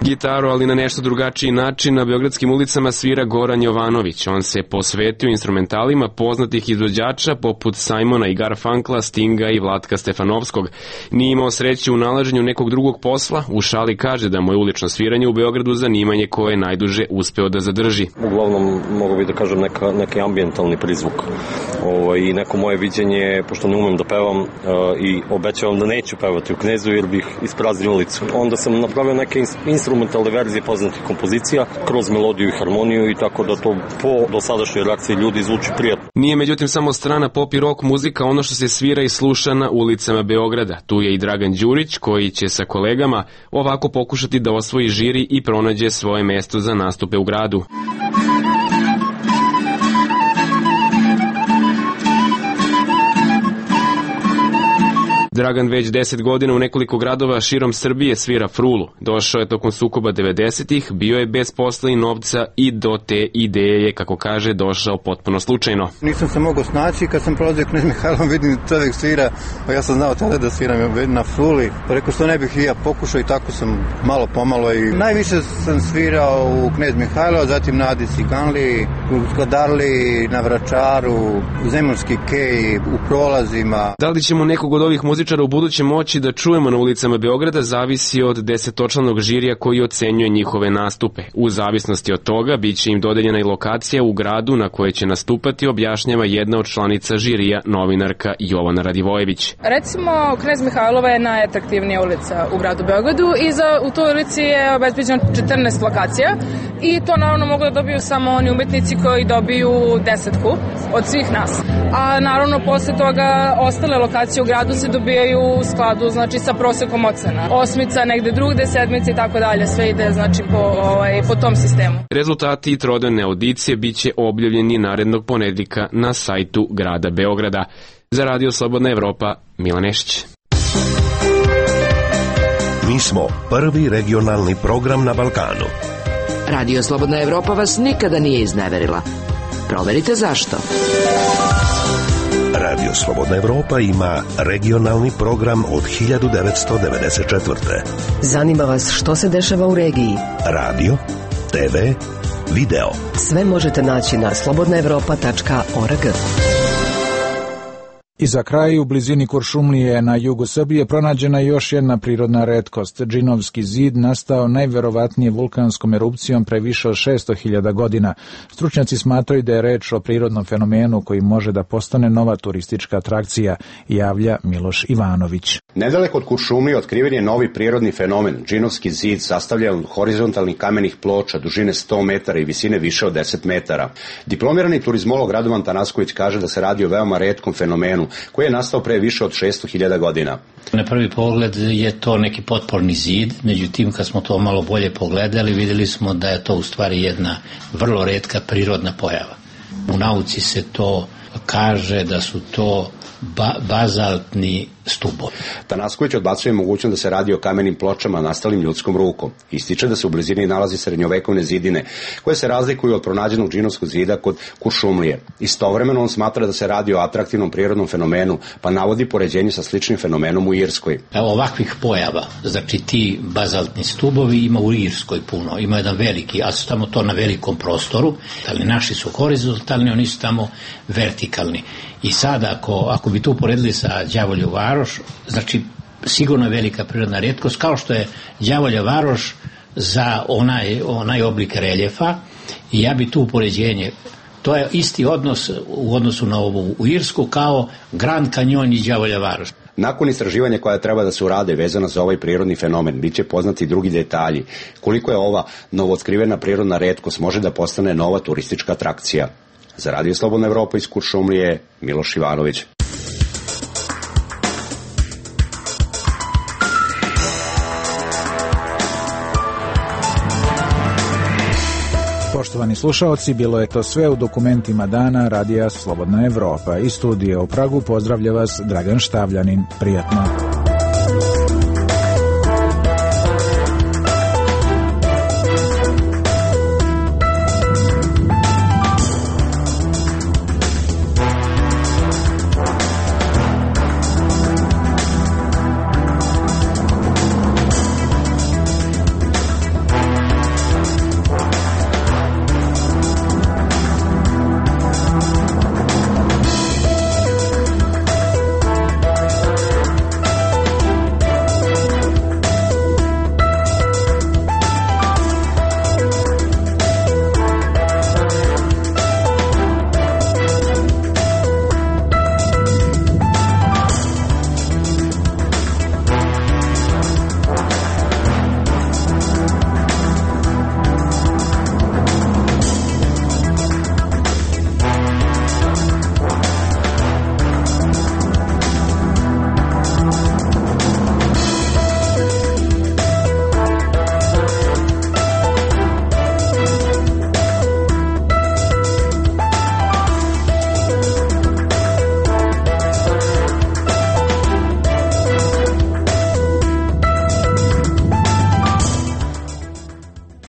Gitaru, ali na nešto drugačiji način, na beogradskim ulicama svira Goran Jovanović. On se posvetio instrumentalima poznatih izvođača poput Simona i Garfunkla, Stinga i Vlatka Stefanovskog. Nije imao sreće u nalaženju nekog drugog posla, u šali kaže da mu je ulično sviranje u Beogradu zanimanje koje je najduže uspeo da zadrži. Uglavnom, mogu bi da kažem, neka, neki ambijentalni prizvuk. Ovo, i neko moje viđenje, pošto ne umem da pevam uh, i obećavam da neću pevati u Knezu jer bih ispraznio ulicu. Onda sam napravio neke instrumentalne verzije poznatih kompozicija kroz melodiju i harmoniju i tako da to po dosadašnjoj reakciji ljudi zvuči prijatno. Nije međutim samo strana pop i rock muzika ono što se svira i sluša na ulicama Beograda. Tu je i Dragan Đurić koji će sa kolegama ovako pokušati da osvoji žiri i pronađe svoje mesto za nastupe u gradu. Dragan već deset godina u nekoliko gradova širom Srbije svira frulu. Došao je tokom sukoba devedesetih, bio je bez posla i novca i do te ideje je, kako kaže, došao potpuno slučajno. Nisam se mogao snaći, kad sam prolazio Knez Mihajlom, vidim čovjek svira, pa ja sam znao tada da sviram na fruli. Pa rekao što ne bih i ja pokušao i tako sam malo pomalo i najviše sam svirao u Knez Mihajlo, zatim na Adi Ciganli, u Skadarli, na Vračaru, u Zemunski kej, u prolazima. Da li ćemo nekog od ovih muzičara u buduće moći da čujemo na ulicama Beograda zavisi od desetočlanog žirija koji ocenjuje njihove nastupe. U zavisnosti od toga biće im dodeljena i lokacija u gradu na kojoj će nastupati, objašnjava jedna od članica žirija, novinarka Jovana Radivojević. Recimo, Knez Mihajlova je najatraktivnija ulica u gradu Beogradu i za, u toj ulici je obezbeđeno četrnaest lokacija i to naravno mogu da dobiju samo oni umetnici koji dobiju desetku od svih nas. A naravno posle toga ostale lokacije u gradu se dobiju u skladu, znači, sa prosekom ocena. Osmica, negde drugde, sedmice i tako dalje, sve ide, znači, po, ovaj, po tom sistemu. Rezultati i trodnevne audicije biće objavljeni narednog ponedjeljka na sajtu grada Beograda. Za Radio Slobodna Evropa, Milan Nešić. Mi smo prvi regionalni program na Balkanu. Radio Slobodna Evropa vas nikada nije izneverila. Proverite zašto. Radio Slobodna Evropa ima regionalni program od hiljadu devetsto devedeset četvrte. Zanima vas što se dešava u regiji? Radio, te ve, video. Sve možete naći na slobodna evropa tačka org. I za kraj, u blizini Kuršumlije na jugu Srbije pronađena je još jedna prirodna retkost. Džinovski zid nastao najverovatnije vulkanskom erupcijom pre više od šesto hiljada godina. Stručnjaci smatraju da je reč o prirodnom fenomenu koji može da postane nova turistička atrakcija, javlja Miloš Ivanović. Nedaleko od Kuršumlije otkriven je novi prirodni fenomen. Džinovski zid sastavlja od horizontalnih kamenih ploča dužine sto metara i visine više od deset metara. Diplomirani turizmolog Radovan Tanasković kaže da se radi o veoma retkom fenomenu koji je nastao pre više od šesto hiljada godina. Na prvi pogled je to neki potporni zid, međutim kad smo to malo bolje pogledali vidjeli smo da je to u stvari jedna vrlo retka prirodna pojava. U nauci se to kaže da su to ba bazaltni stubovi. Tanasković odbacuje mogućnost da se radi o kamenim pločama nastalim ljudskom rukom. Ističe da se u blizini nalazi srednjovekovne zidine, koje se razlikuju od pronađenog džinovskog zida kod Kuršumlije. Istovremeno on smatra da se radi o atraktivnom prirodnom fenomenu, pa navodi poređenje sa sličnim fenomenom u Irskoj. Evo ovakvih pojava, znači ti bazaltni stubovi ima u Irskoj puno, ima jedan veliki, a su tamo to na velikom prostoru, ali naši su horizontalni, oni su tamo vertikalni. I sada ako, ako bi to uporedili sa Đavolju Varoš, znači sigurno je velika prirodna retkost, kao što je Đavolja Varoš za onaj, onaj oblik reljefa, i ja bi tu upoređenje, to je isti odnos u odnosu na ovu u Irsku kao Grand Canyon i Đavolja Varoš. Nakon istraživanja koja treba da se urade vezano za ovaj prirodni fenomen, bit će poznati drugi detalji, koliko je ova novootkrivena prirodna retkost može da postane nova turistička atrakcija. Za Radio Slobodna Evropa iz Kuršumlije, Miloš Ivanović. Poštovani slušaoci, bilo je to sve u dokumentima dana Radija Slobodna Evropa. Iz studija u Pragu pozdravlja vas Dragan Štavljanin. Prijatno.